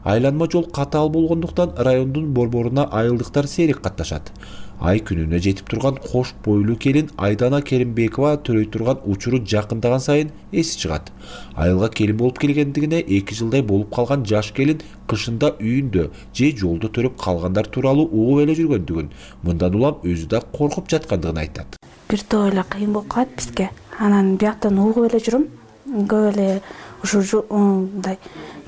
Speaker 5: Айланма жол катаал болгондуктан райондун борборуна айылдыктар сейрек катташат. Ай күнүнө жетип турган кош бойлуу келин Айдана Керимбекова төрөй турган учуру жакындаган сайын эси чыгат. Айылга келин болуп келгендигине эки жылдай болуп калган жаш келин кышында үйүндө же жолдо төрөп калгандар тууралуу угуп эле жүргөндүгүн, мындан улам өзү да коркуп жаткандыгын айтат.
Speaker 24: Бир топ эле кыйын болуп калат бизге. Анан бияктан угуп эле жүрүм. Көп эле ушу мындай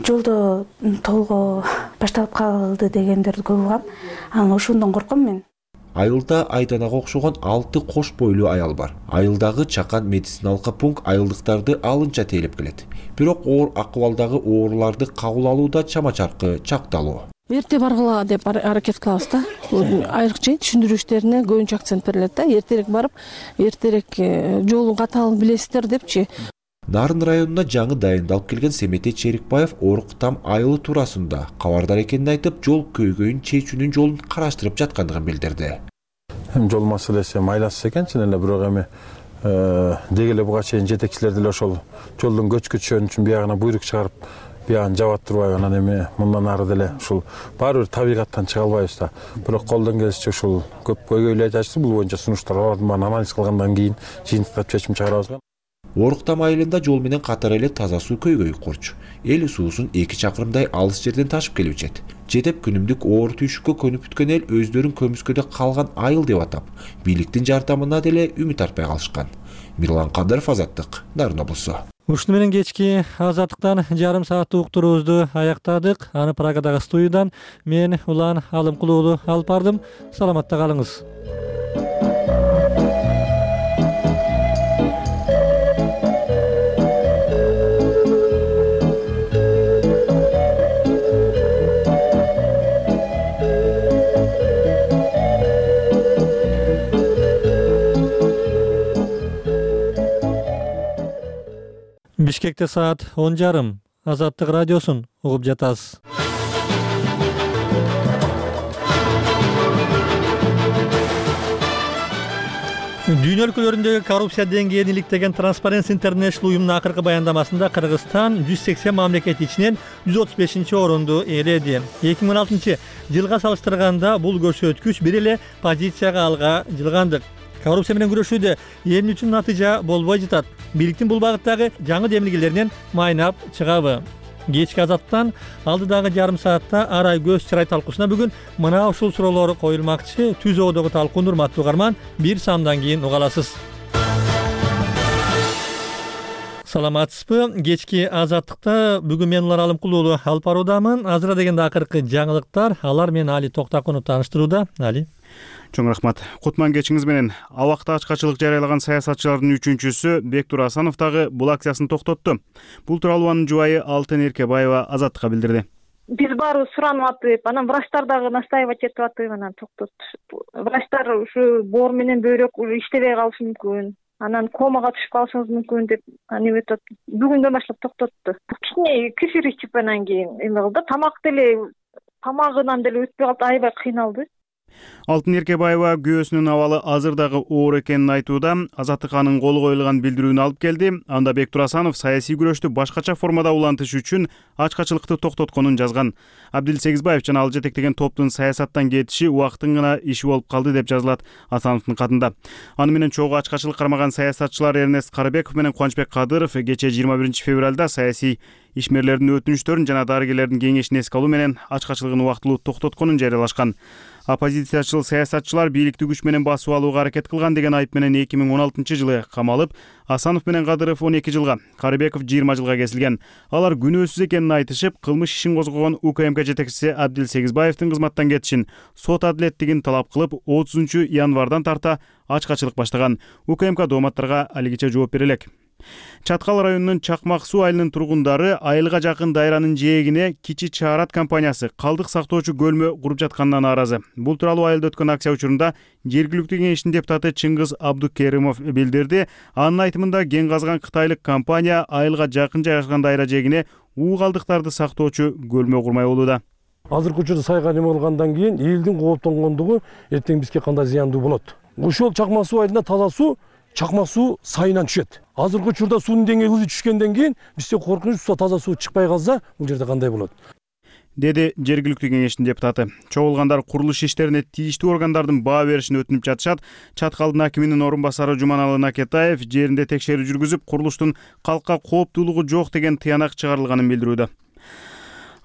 Speaker 24: жолдо толго башталып калды дегендерди көп угам. Анан ошондон корком мен.
Speaker 5: Айылда Айданага окшогон алты кош бойлуу аял бар. Айылдагы чакан медициналык пункт айылдыктарды алынча тейлеп келет. Бирок оор акыбалдагы ооруларды кабыл алууда чама-чаркы чакталуу.
Speaker 25: Эрте баргыла деп аракет кылабыз да. Айрыкча түшүндүрүү иштерине көбүнчө акцент берилет да. Эртерээк барып, эртерээк жолдун катаалын билесиздер депчи.
Speaker 5: Нарын районуна жаңы дайындалып келген Семетей Черикбаев Оруктам айылы туурасында кабардар экенин айтып, жол көйгөйүн чечүүнүн жолун караштырып жаткандыгын билдирди.
Speaker 26: Жол маселеси майласыз экен, чын эле, бирок эми дегеле буга чейин жетекчилер деле ошол жолдун көчкү түшөнү үчүн биягына буйрук чыгарып, биягын жаба турбайбы, анан эми мындан ары деле ушул баары бир табигаттан чыга албайбыз да. Бирок колдон келишинче ушул көп көйгөйлөр айтышты, бул боюнча сунуштар бар, анализ кылгандан кийин жыйынтыктап чечим чыгарабыз.
Speaker 5: Оруктам айылында жол менен катар эле таза суу көйгөйү корчу. Эл суусун эки чакырымдай алыс жерден ташып келип ичет. Жетеп күнүмдүк оор түйшүккө көнүп бүткөн эл өздөрүн көмүскөдө калган айыл деп атап, бийликтин жардамына деле үмүт артпай калышкан. Мирлан Кадыров, Азаттык, Нарын облусу.
Speaker 1: Ушуну менен кечки Азаттыктан жарым сааттык уктуруубузду аяктадык. Аны Прагадагы студиядан мен Улан Алымкулуу уулу алып бардым. Саламатта калыңыз. Бишкекте саат он жарым. Азаттык радиосун угуп жатасыз. Дүйнө өлкөлөрүндөгү коррупция деңгээлин иликтеген Transparency International уюмунун акыркы баяндамасында Кыргызстан жүз сексен мамлекет ичинен жүз отуз бешинчи орунду ээледи. эки миң он алтынчы жылга салыштырганда бул көрсөткүч бир эле позицияга алга жылгандык. Коррупция менен күрөшүүдө эмне үчүн натыйжа болбой жатат? Бийликтин бул багыттагы жаңы демилгелеринен майнап чыгабы? Кечки Азаттан алдыдагы жарым саатта арай көз чырай талкуусуна бүгүн мына ушул суроолор коюлмакчы. Түз оодогу талкууну урматтуу угарман, бир саамдан кийин уга аласыз. Саламатсызбы? Кечки Азаттыкта бүгүн мен Улан Алымкулуу уулу алып баруудамын. Азыра дегенде акыркы жаңылыктар, алар менен Али Токтакунов тааныштырууда. Али.
Speaker 4: Чоң рахмат. Кутман кечиңиз менен. Абакта ачкачылык жарыялаган саясатчылардын үчүнчүсү Бектур Асанов дагы бул акциясын токтотту. Бул тууралуу анын жубайы Алтын Эркебаева Азаттыкка билдирди.
Speaker 2: Биз баарыбыз суранып атып, анан врачтар дагы настаивать этип атып, анан токтот. Врачтар ушу боор менен бөйрөк уже иштебей калышы мүмкүн. Анан комага түшүп калышыңыз мүмкүн деп аны өтөт. Бүгүндөн баштап токтотту. Кичине кефир ичип анан кийин эме кылды. Тамак деле тамагынан деле өтпөй калды, аябай кыйналды.
Speaker 4: Алтын Эркебаева күйөөсүнүн абалы азыр дагы оор экенин айтууда. Азаттык анын колу коюлган билдирүүнү алып келди. Анда Бектур Асанов саясий күрөштү башкача формада улантыш үчүн ачкачылыкты токтотконун жазган. Абдил Сегизбаев жана ал жетектеген топтун саясаттан кетиши убакыттын гана иши болуп калды деп жазылат Асановдун катында. Аны менен чогуу ачкачылык кармаган саясатчылар Эрнест Карыбеков менен Кубанычбек Кадыров кечээ жыйырма биринчи февралда саясий ишмерлердин өтүнүчтөрүн жана дарыгерлердин кеңешин эске алуу менен ачкачылыгын убактылуу токтотконун жарыялашкан. Оппозициячыл саясатчылар бийликти күч менен басып алууга аракет кылган деген айып менен эки миң он алтынчы жылы камалып, Асанов менен Кадыров он эки жылга, Карыбеков жыйырма жылга кесилген. Алар күнөөсүз экенин айтышып, кылмыш ишин козгогон УКМК жетекчиси Абдил Сегизбаевдин кызматтан кетишин, сот адилеттигин талап кылып, отузунчу январдан тарта ачкачылык баштаган. УКМК дооматтарга алигиче жооп бере элек. Чаткал районунун Чакмак суу айылынын тургундары айылга жакын дайранын жээгине Кичи Чаарат компаниясы калдык сактоочу көлмө куруп жатканына нааразы. Бул тууралуу айылда өткөн акция учурунда жергиликтүү кеңештин депутаты Чыңгыз Абдукеримов билдирди. Анын айтымында кен казган кытайлык компания айылга жакын жайгашкан дайра жээгине уу калдыктарды сактоочу көлмө курмай болууда.
Speaker 9: Азыркы учурда сайга неме кылгандан кийин элдин кооптонгондугу эртең бизге кандай зыяндуу болот. Ошол Чакмак суу айылында таза суу Чакмак суу сайынан түшөт. Азыркы учурда суунун деңгээли түшкөндөн кийин бизде коркунуч таза суу чыкпай калса, бул жерде кандай болот?
Speaker 4: Деди жергиликтүү кеңештин депутаты. Чогулгандар курулуш иштерине тийиштүү органдардын баа беришин өтүнүп жатышат. Чаткалдын акиминин орун басары Жуманалы Накетаев жеринде текшерүү жүргүзүп, курулуштун калкка кооптуулугу жок деген тыянак чыгарылганын билдирүүдө.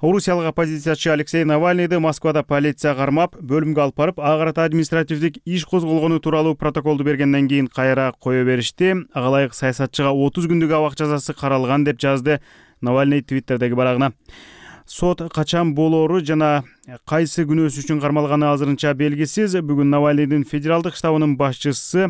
Speaker 4: Орусиялык оппозициячы Алексей Навальныйды Москвада полиция кармап, бөлүмгө алып барып, ага карата административдик иш козголгону тууралуу протоколду бергенден кийин кайра кое беришти. Ага ылайык саясатчыга отуз күндүк абак жазасы каралган деп жазды Навальный Твиттердеги барагына. Сот качан болоору жана кайсы күнөөсү үчүн кармалганы азырынча белгисиз. Бүгүн Навальныйдын федералдык штабынын башчысы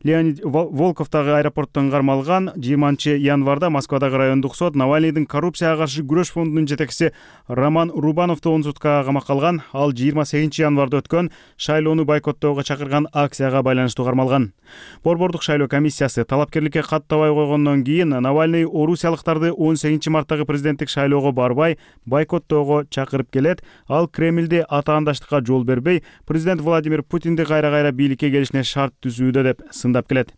Speaker 4: Леонид Волков дагы аэропорттон кармалган. жыйырманчы январда Москвадагы райондук сот Навальныйдын коррупцияга каршы күрөш фондунун жетекчиси Роман Рубановду он суткага камакка алган. Ал жыйырма сегизинчи январда өткөн шайлоону бойкоттоого чакырган акцияга байланыштуу кармалган. Борбордук шайлоо комиссиясы талапкерликке каттабай койгондон кийин Навальный орусиялыктарды он сегизинчи марттагы президенттик шайлоого барбай, бойкоттоого чакырып келет. Ал Кремльде атаандаштыкка жол бербей, президент Владимир Путинди кайра-кайра бийликке келишине шарт түзүүдө деп сындап келет.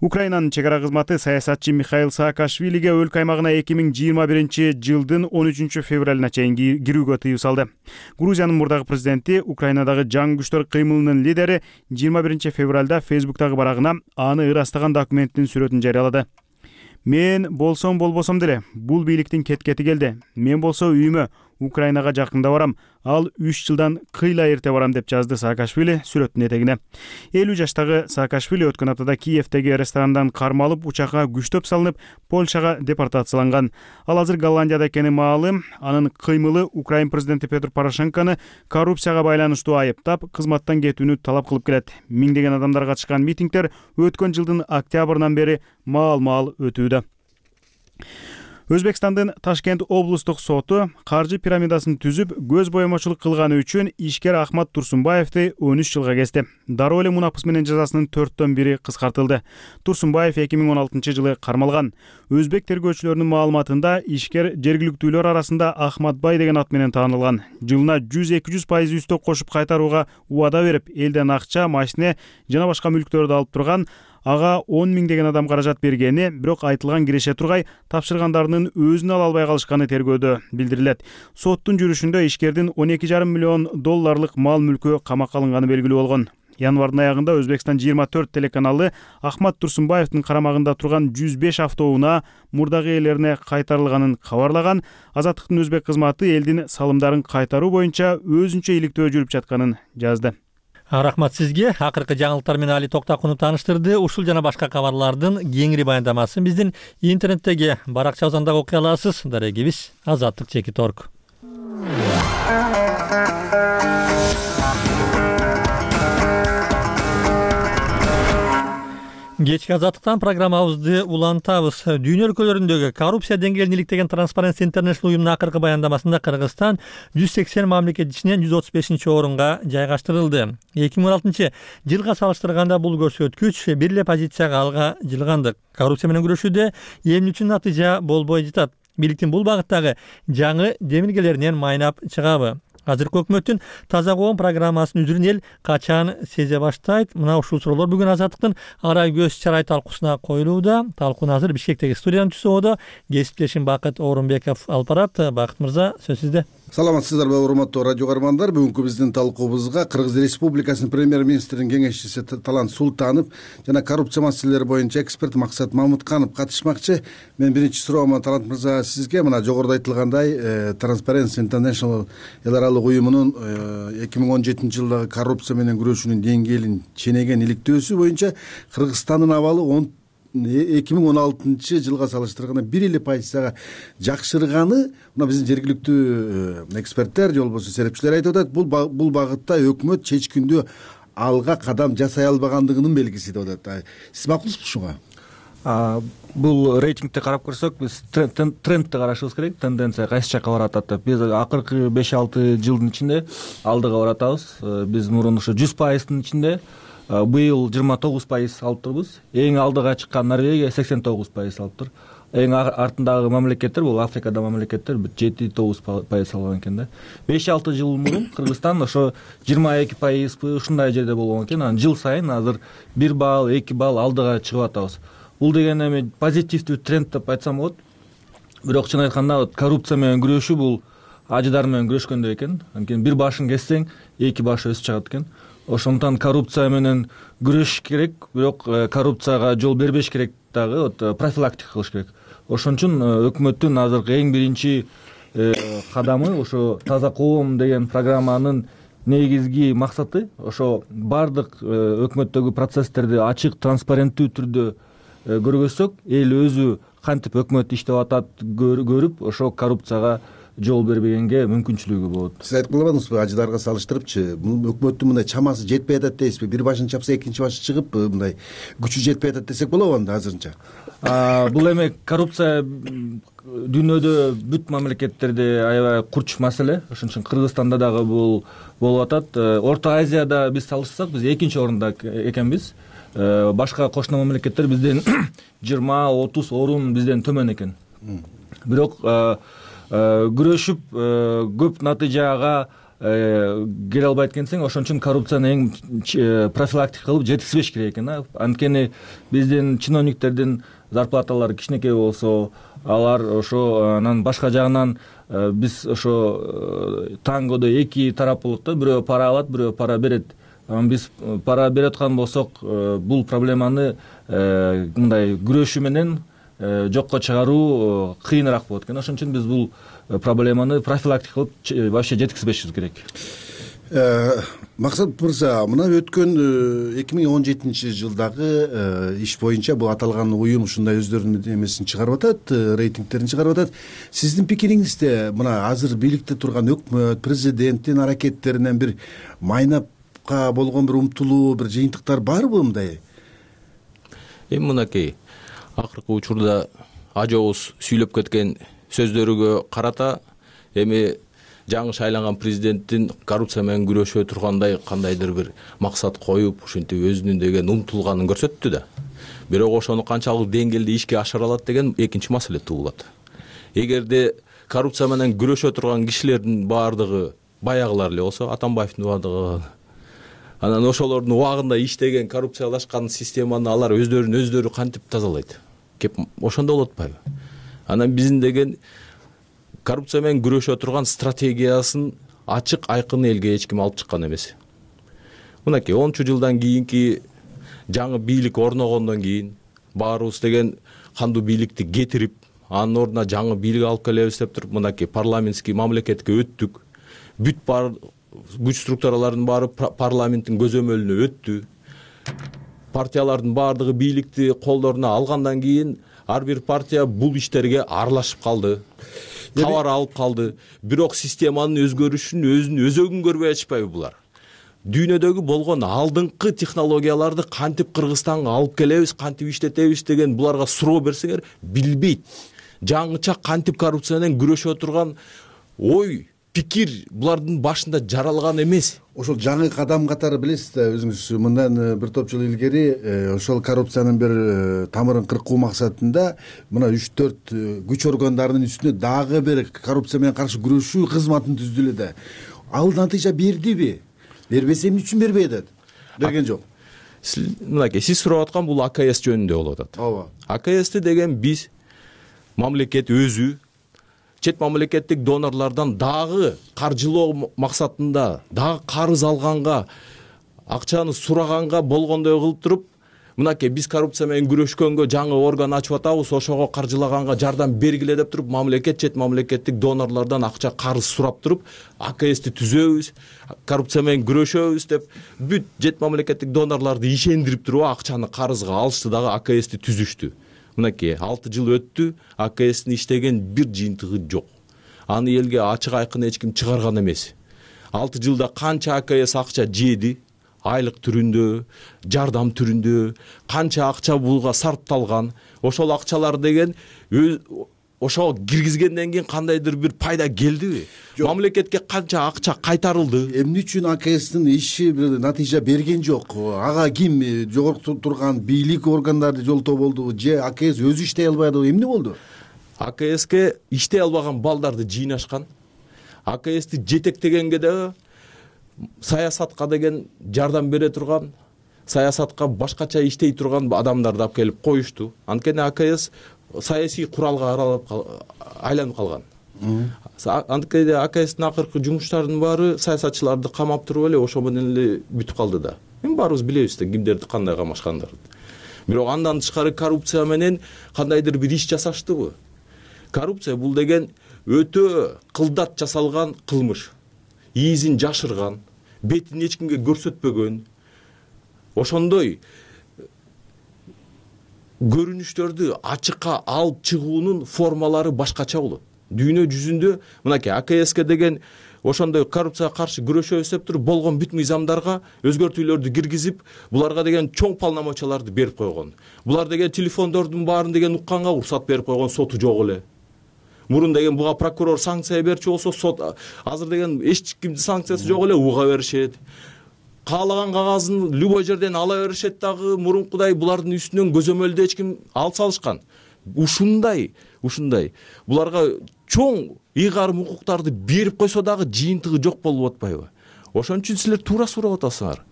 Speaker 4: Украинанын чек ара кызматы саясатчы Михаил Саакашвилиге өлкө аймагына эки миң жыйырма биринчи жылдын он үчүнчү февралына чейин кирүүгө тыюу салды. Грузиянын мурдагы президенти Украинадагы жаңы күчтөр кыймылынын лидери жыйырма биринчи февралда Фейсбуктагы барагына аны ырастаган документтин сүрөтүн жарыялады. Мен болсом болбосом деле бул бийликтин кеткети келди. Мен болсо үйүмө Украинага жакында барам. Ал үч жылдан кыйла эрте барам деп жазды Саакашвили сүрөттүн этегине. элүү жаштагы Саакашвили өткөн аптада Киевдеги ресторандан кармалып, учакка күчтөп салынып, Польшага депортацияланган. Ал азыр Голландияда экени маалым. Анын кыймылы Украин президенти Петр Порошенкону коррупцияга байланыштуу айыптап, кызматтан кетүүнү талап кылып келет. Миңдеген адамдар катышкан митингдер өткөн жылдын октябрынан бери маал-маал өтүүдө. Өзбекстандын Ташкент облустук соту каржы пирамидасын түзүп, көз боемочулук кылганы үчүн ишкер Ахмат Турсунбаевди он үч жылга кести. Дароо эле мунапыс менен жазасынын төрттөн бири кыскартылды. Турсунбаев эки миң он алтынчы жылы кармалган. Өзбек тергөөчүлөрүнүн маалыматында ишкер жергиликтүүлөр арасында Ахматбай деген ат менен таанылган. Жылына жүз эки жүз пайыз үстөк кошуп кайтарууга убада берип, элден акча, машине жана башка мүлктөрдү алып турган. Ага он миң деген адам каражат бергени, бирок айтылган киреше тургай тапшыргандарынын өзүн ала албай калышканы тергөөдө билдирилет. Соттун жүрүшүндө ишкердин он эки жарым миллион долларлык мал мүлкү камакка алынганы белгилүү болгон. Январдын аягында Өзбекстан жыйырма төрт телеканалы Ахмат Турсунбаевдин карамагында турган жүз беш автоунаа мурдагы ээлерине кайтарылганын кабарлаган. Азаттыктын өзбек кызматы элдин салымдарын кайтаруу боюнча өзүнчө иликтөө жүрүп жатканын жазды.
Speaker 1: Рахмат сизге. Акыркы жаңылыктар менен Али Токтакунов тааныштырды. Ушул жана башка кабарлардын кеңири баяндамасын биздин интернеттеги баракчабыздан да окуй аласыз. Дарегибиз азаттык чекит точка орг. Кечки азаттыктан программабызды улантабыз. Дүйнө өлкөлөрүндөгү коррупция деңгээлин иликтеген Transparency International уюмунун акыркы баяндамасында Кыргызстан жүз сексен мамлекет ичинен жүз отуз бешинчи орунга жайгаштырылды. эки миң он алтынчы жылга салыштырганда бул көрсөткүч бир эле позицияга алга жылгандык. Коррупция менен күрөшүүдө эмне үчүн натыйжа болбой жатат? Бийликтин бул багыттагы жаңы демилгелеринен майнап чыгабы? Азыркы өкмөттүн таза коом программасынын үзүрүн эл качан сезе баштайт? Мына ушул суроолор бүгүн Азаттыктын ара көз чарай талкуусуна коюлууда. Талкууну азыр Бишкектеги студиядан түзүүдө кесиптешим Бакыт Орунбеков алып барат. Бакыт мырза, сөз сизде.
Speaker 7: Саламатсыздарбы, урматтуу радио көрөрмандар. Бүгүнкү биздин талкуубузга Кыргыз Республикасынын премьер-министринин кеңешчиси Талант Султанов жана коррупция маселелери боюнча эксперт Максат Мамытканов катышмакчы. Мен биринчи суроомо Талант мырза сизге мына жогоруда айтылгандай Transparency International эл аралык уюмунун эки миң он жетинчи жылдагы коррупция менен күрөшүүнүн деңгээлин ченеген иликтөөсү боюнча Кыргызстандын абалы он эки миң он алтынчы жылга салыштырганда бир эле позицияга жакшырганы мына биздин жергиликтүү эксперттер же болбосо серепчилер айтып атат. Бул бул багытта өкмөт чечкиндүү алга кадам жасай албагандыгынын белгиси деп атат. Сиз макулсузбу ушуга?
Speaker 10: Бул рейтингди карап көрсөк, биз трендти карашыбыз керек. Тенденция кайсы жакка баратат деп. Биз акыркы беш алты жылдын ичинде алдыга баратабыз. Биз мурун ушу жүз пайыздын ичинде быйыл жыйырма тогуз пайыз алып турбуз. Эң алдыга чыккан Норвегия сексен тогуз пайыз алып тур. Эң артындагы мамлекеттер бул Африкада мамлекеттер жети тогуз пайыз алган экен да. беш алты жыл мурун Кыргызстан ошо жыйырма эки пайызбы ушундай жерде болгон экен. Анан жыл сайын азыр бир балл, эки балл алдыга чыгып атабыз. Бул деген эми позитивдүү тренд деп айтсам болот. Бирок чын айтканда коррупция менен күрөшүү бул ажыдар менен күрөшкөндөй экен. Анткени бир башын кессең, эки баш өсүп чыгат экен. Ошондуктан коррупция менен күрөшүш керек, бирок коррупцияга жол бербеш керек дагы, вот профилактика кылыш керек. Ошон үчүн өкмөттүн азыркы эң биринчи кадамы ошо таза коом деген программанын негизги максаты ошо бардык өкмөттөгү процесстерди ачык, транспаренттүү түрдө көргөзсөк, эл өзү кантип өкмөт иштеп атат көрүп, ошо коррупцияга жол бербегенге мүмкүнчүлүгү болот.
Speaker 7: Сиз айтып калбадыңызбы, ажыдарга салыштырыпчы, өкмөттүн мындай чамасы жетпей атат дейсизби? Бир башын чапса экинчи башы чыгып, мындай күчү жетпей атат десек болобу анда азырынча?
Speaker 10: Бул эми коррупция дүйнөдө бүт мамлекеттерде аябай курч маселе. Ошон үчүн Кыргызстанда дагы бул болуп атат. Орто Азияда биз салышсак, биз экинчи орунда экенбиз. Башка кошуна мамлекеттер бизден жыйырма отуз орун бизден төмөн экен. Бирок күрөшүп көп натыйжага келе албайт экенсең, ошон үчүн коррупцияны эң профилактика кылып жеткизбеш керек экен. Анткени биздин чиновниктердин зарплаталары кичинекей болсо, алар ошо анан башка жагынан биз ошо тангодо эки тарап болот да, бирөө пара алат, бирөө пара берет. Биз пара берип аткан болсок, бул проблеманы мындай күрөшүү менен жокко чыгаруу кыйыныраак болот экен. Ошон үчүн биз бул проблеманы профилактика кылып вообще жеткизбешибиз керек.
Speaker 7: Максат мырза, мына өткөн эки миң он жетинчи жылдагы иш боюнча бул аталган уюм ушундай өздөрүнүн эмесин чыгарып атат, рейтингтерин чыгарып атат. Сиздин пикириңизде мына азыр бийликте турган өкмөт, президенттин аракеттеринен бир майнапка болгон бир умтулуу, бир жыйынтыктар барбы мындай?
Speaker 11: Эми мынакей, акыркы учурда ажообуз сүйлөп кеткен сөздөрүгө карата эми жаңы шайланган президенттин коррупция менен күрөшө тургандай кандайдыр бир максат коюп, ушинтип өзүнүн деген умтулганын көрсөттү да. Бирок ошону канчалык деңгээлде ишке ашыра алат деген экинчи маселе туулат. Эгерде коррупция менен күрөшө турган кишилердин баардыгы баягылар эле болсо, Атамбаевдин убагында, анан ошолордун убагында иштеген коррупциялашкан системаны алар өздөрүн өздөрү кантип тазалайт? Кеп ошондо болот атпайбы? Анан биздин деген коррупция менен күрөшө турган стратегиясын ачык айкын элге эч ким алып чыккан эмес. Мынакей онунчу жылдан кийинки жаңы бийлик орногондон кийин баарыбыз деген кандуу бийликти кетирип, анын ордуна жаңы бийлик алып келебиз деп туруп, мынакей парламентский мамлекетке өттүк. Бүт бар күч структуралардын баары парламенттин көзөмөлүнө өттү. Партиялардын баардыгы бийликти колдоруна алгандан кийин ар бир партия бул иштерге аралашып калды. Кабар алып калды. Бирок системанын өзгөрүшүн өзүн өзөгүн көрбөй атышпайбы булар? Дүйнөдөгү болгон алдыңкы технологияларды кантип Кыргызстанга алып келебиз, кантип иштетебиз деген буларга суроо берсеңер билбейт. Жаңыча кантип коррупция менен күрөшө турган ой, пикир булардын башында жаралган эмес.
Speaker 7: Ошол жаңы кадам катары билесиз да, өзүңүз мындан бир топ жыл илгери ошол коррупциянын бир тамырын кыркуу максатында мына үч төрт күч органдарынын үстүнө дагы бир коррупция менен каршы күрөшүү кызматын түздү эле да. Ал натыйжа бердиби? Бербесе эмне үчүн бербей атат? Берген жок.
Speaker 11: Мынакей, сиз сурап аткан бул А К С жөнүндө болуп атат.
Speaker 7: Ооба.
Speaker 11: А К Сти деген биз мамлекет өзү чет мамлекеттик донорлордон дагы каржылоо максатында, дагы карыз алганга, акчаны сураганга болгондой кылып туруп, мынакей биз коррупция менен күрөшкөнгө жаңы орган ачып атабыз, ошого каржылаганга жардам бергиле деп туруп, мамлекет чет мамлекеттик донорлордон акча карыз сурап туруп, А К Сти түзөбүз, коррупция менен күрөшөбүз деп бүт чет мамлекеттик донорлорду ишендирип туруп акчаны карызга алышты дагы А К Сти түзүштү. Мынакей алты жыл өттү, А К Стин иштеген бир жыйынтыгы жок. Аны элге ачык айкын эч ким чыгарган эмес. алты жылда канча А К С акча жеди, айлык түрүндө, жардам түрүндө, канча акча булга сарпталган, ошол акчалар деген ошого киргизгенден кийин кандайдыр бир пайда келдиби? Мамлекетке канча акча кайтарылды?
Speaker 7: Эмне үчүн А К Стин иши бир натыйжа берген жок? Ага ким жогорку турган бийлик органдары жолтоо болдубу же А К С өзү иштей албадыбы? Эмне болду?
Speaker 11: А К Ске иштей албаган балдарды жыйнашкан. А К Сти жетектегенге да саясатка деген жардам бере турган, саясатка башкача иштей турган адамдарды алып келип коюшту. Анткени А К С саясий куралга айланып калган. Анткени А К Стин акыркы жумуштарынын баары саясатчыларды камап туруп эле ошо менен эле бүтүп калды да. Эми баарыбыз билебиз да кимдерди кандай камашкандарын. Бирок андан тышкары коррупция менен кандайдыр бир иш жасаштыбы? Коррупция бул деген өтө кылдат жасалган кылмыш. Ийизин жашырган, бетин эч кимге көрсөтпөгөн. Ошондой көрүнүштөрдү ачыкка алып чыгуунун формалары башкача болот. Дүйнө жүзүндө мынакей А К Ске деген ошондой коррупцияга каршы күрөшөбүз деп туруп болгон бүт мыйзамдарга өзгөртүүлөрдү киргизип, буларга деген чоң полномочияларды берип койгон. Булар деген телефондордун баарын деген укканга уруксат берип койгон, соту жок эле. Мурун деген буга прокурор санкция берчү болсо, сот азыр деген эч кимдин санкциясы жок эле, уга беришет. Каалаган кагазын любой жерден ала беришет дагы, мурункудай булардын үстүнөн көзөмөлдө эч ким алып салышкан. ушундай ушундай буларга чоң ыйгарым укуктарды берип койсо дагы жыйынтыгы жок болуп атпайбы? Ошон үчүн силер туура сурап атасыңар.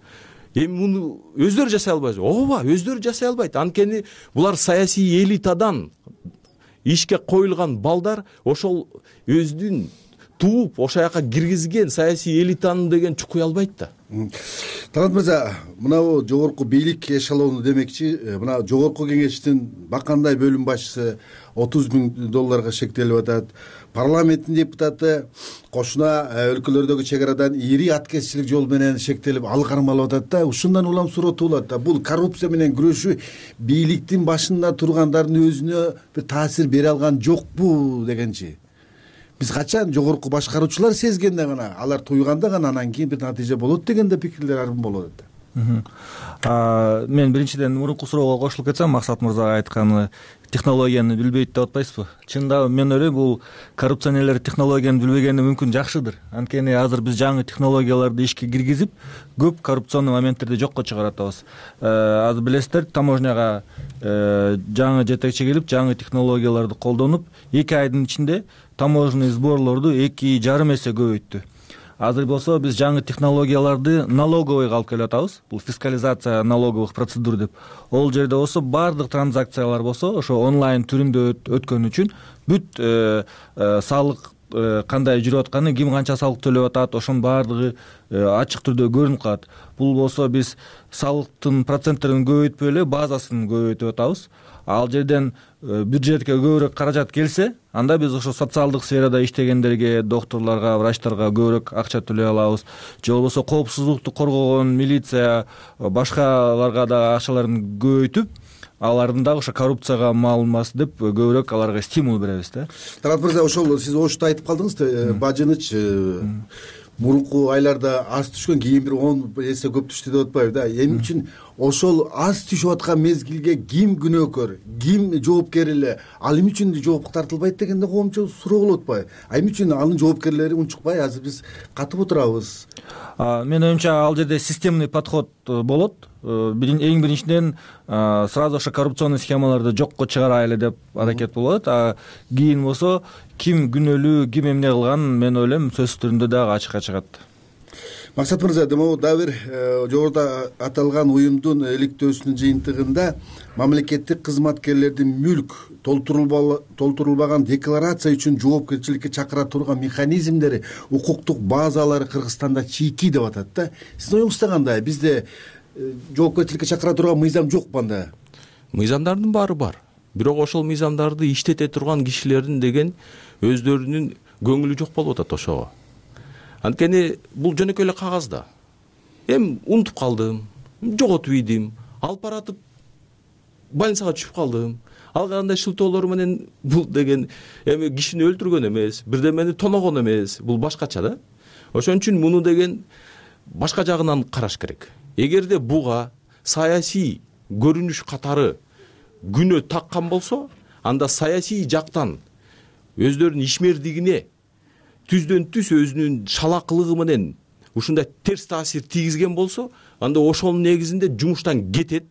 Speaker 11: Эми муну өздөрү жасай албайбы? Ооба, өздөрү жасай албайт. Анткени булар саясий элитадан ишке коюлган балдар, ошол өздүн тууп ошол жака киргизген саясий элитаны деген чукуй албайт да.
Speaker 7: Талант мырза, мына жогорку бийлик эшелону демекчи, мына жогорку кеңештин бакандай бөлүм башчысы отуз миң долларга шектелип атат. Парламенттин депутаты кошуна өлкөлөрдөгү чек арадан ири аткезчилик жол менен шектелип, ал кармалып атат да. Ушундан улам суроо туулат да. Бул коррупция менен күрөшүү бийликтин башында тургандардын өзүнө бир таасир бере алган жокпу дегенчи. Биз качан жогорку башкаруучулар сезгенде гана, алар туйганда гана анан кийин бир натыйжа болот деген да пикирлер арбын болот да.
Speaker 10: Мен биринчиден мурунку суроого кошулуп кетсем, Максат мырзага айтканы технологияны билбейт деп атпайсызбы? Чындап мен ойлойм, бул коррупционерлер технологияны билбегени мүмкүн жакшыдыр. Анткени азыр биз жаңы технологияларды ишке киргизип, көп коррупционный моменттерди жокко чыгаратабыз. Азыр билесиздер, таможняга жаңы жетекчи келип, жаңы технологияларды колдонуп, эки айдын ичинде таможенный сборлорду эки жарым эсе көбөйттү. Азыр болсо биз жаңы технологияларды налоговойго алып келип атабыз. Бул фискализация налоговых процедур деп. Ол жерде болсо бардык транзакциялар болсо ошо онлайн түрүндө өткөн үчүн бүт салык кандай жүрүп атканы, ким канча салык төлөп атат, ошонун бардыгы ачык түрдө көрүнүп калат. Бул болсо биз салыктын проценттерин көбөйтпөй эле базасын көбөйтүп атабыз. Ал жерден бюджетке көбүрөөк каражат келсе, анда биз ошо социалдык сферада иштегендерге, докторлорго, врачтарга көбүрөөк акча төлөй алабыз. Же болбосо коопсуздукту коргогон милиция, башкаларга да акчаларын көбөйтүп, алардын дагы ошо коррупцияга малынмас деп көбүрөөк аларга стимул беребиз да.
Speaker 7: Талант мырза, ошол сиз ошто айтып калдыңыз да, бажыныч мурунку айларда аз түшкөн, кийин бир он эсе көп түштү деп атпайбы да. Эмне үчүн ошол аз түшүп аткан мезгилге ким күнөөкөр, ким жоопкер эле, ал эмне үчүн жоопко тартылбайт дегенде коомчу суроо болуп атпайбы? А эмне үчүн анын жоопкерлери унчукпай, азыр биз катып отурабыз?
Speaker 10: Менин оюмча ал жерде системный подход болот. Эң биринчиден сразу ошо коррупционный схемаларды жокко чыгарайлы деп аракет болот. А кийин болсо ким күнөөлүү, ким эмне кылган, мен ойлойм сөз түрүндө дагы ачыкка чыгат.
Speaker 7: Максат мырза, демек дагы бир жогоруда аталган уюмдун иликтөөсүнүн жыйынтыгында мамлекеттик кызматкерлердин мүлк толтурулбаган декларация үчүн жоопкерчиликке чакыра турган механизмдери, укуктук базалары Кыргызстанда чийки деп атат да. Сиздин оюңузда кандай? Бизде жоопкерчиликке чакыра турган мыйзам жокпу анда?
Speaker 11: Мыйзамдардын баары бар. Бирок ошол мыйзамдарды иштете турган кишилердин деген өздөрүнүн көңүлү жок болуп атат ошого. Анткени бул жөнөкөй эле кагаз да. Эми унутуп калдым, жоготуп ийдим, алып баратып больницага түшүп калдым. Алгандай шылтоолор менен бул деген эми кишини өлтүргөн эмес, бирдемени тоногон эмес, бул башкача да. Ошон үчүн муну деген башка жагынан караш керек. Эгерде буга саясий көрүнүш катары күнөө таккан болсо, анда саясий жактан өздөрүнүн ишмердигине түздөн түз өзүнүн шалакылыгы менен ушундай терс таасир тийгизген болсо, анда ошонун негизинде жумуштан кетет.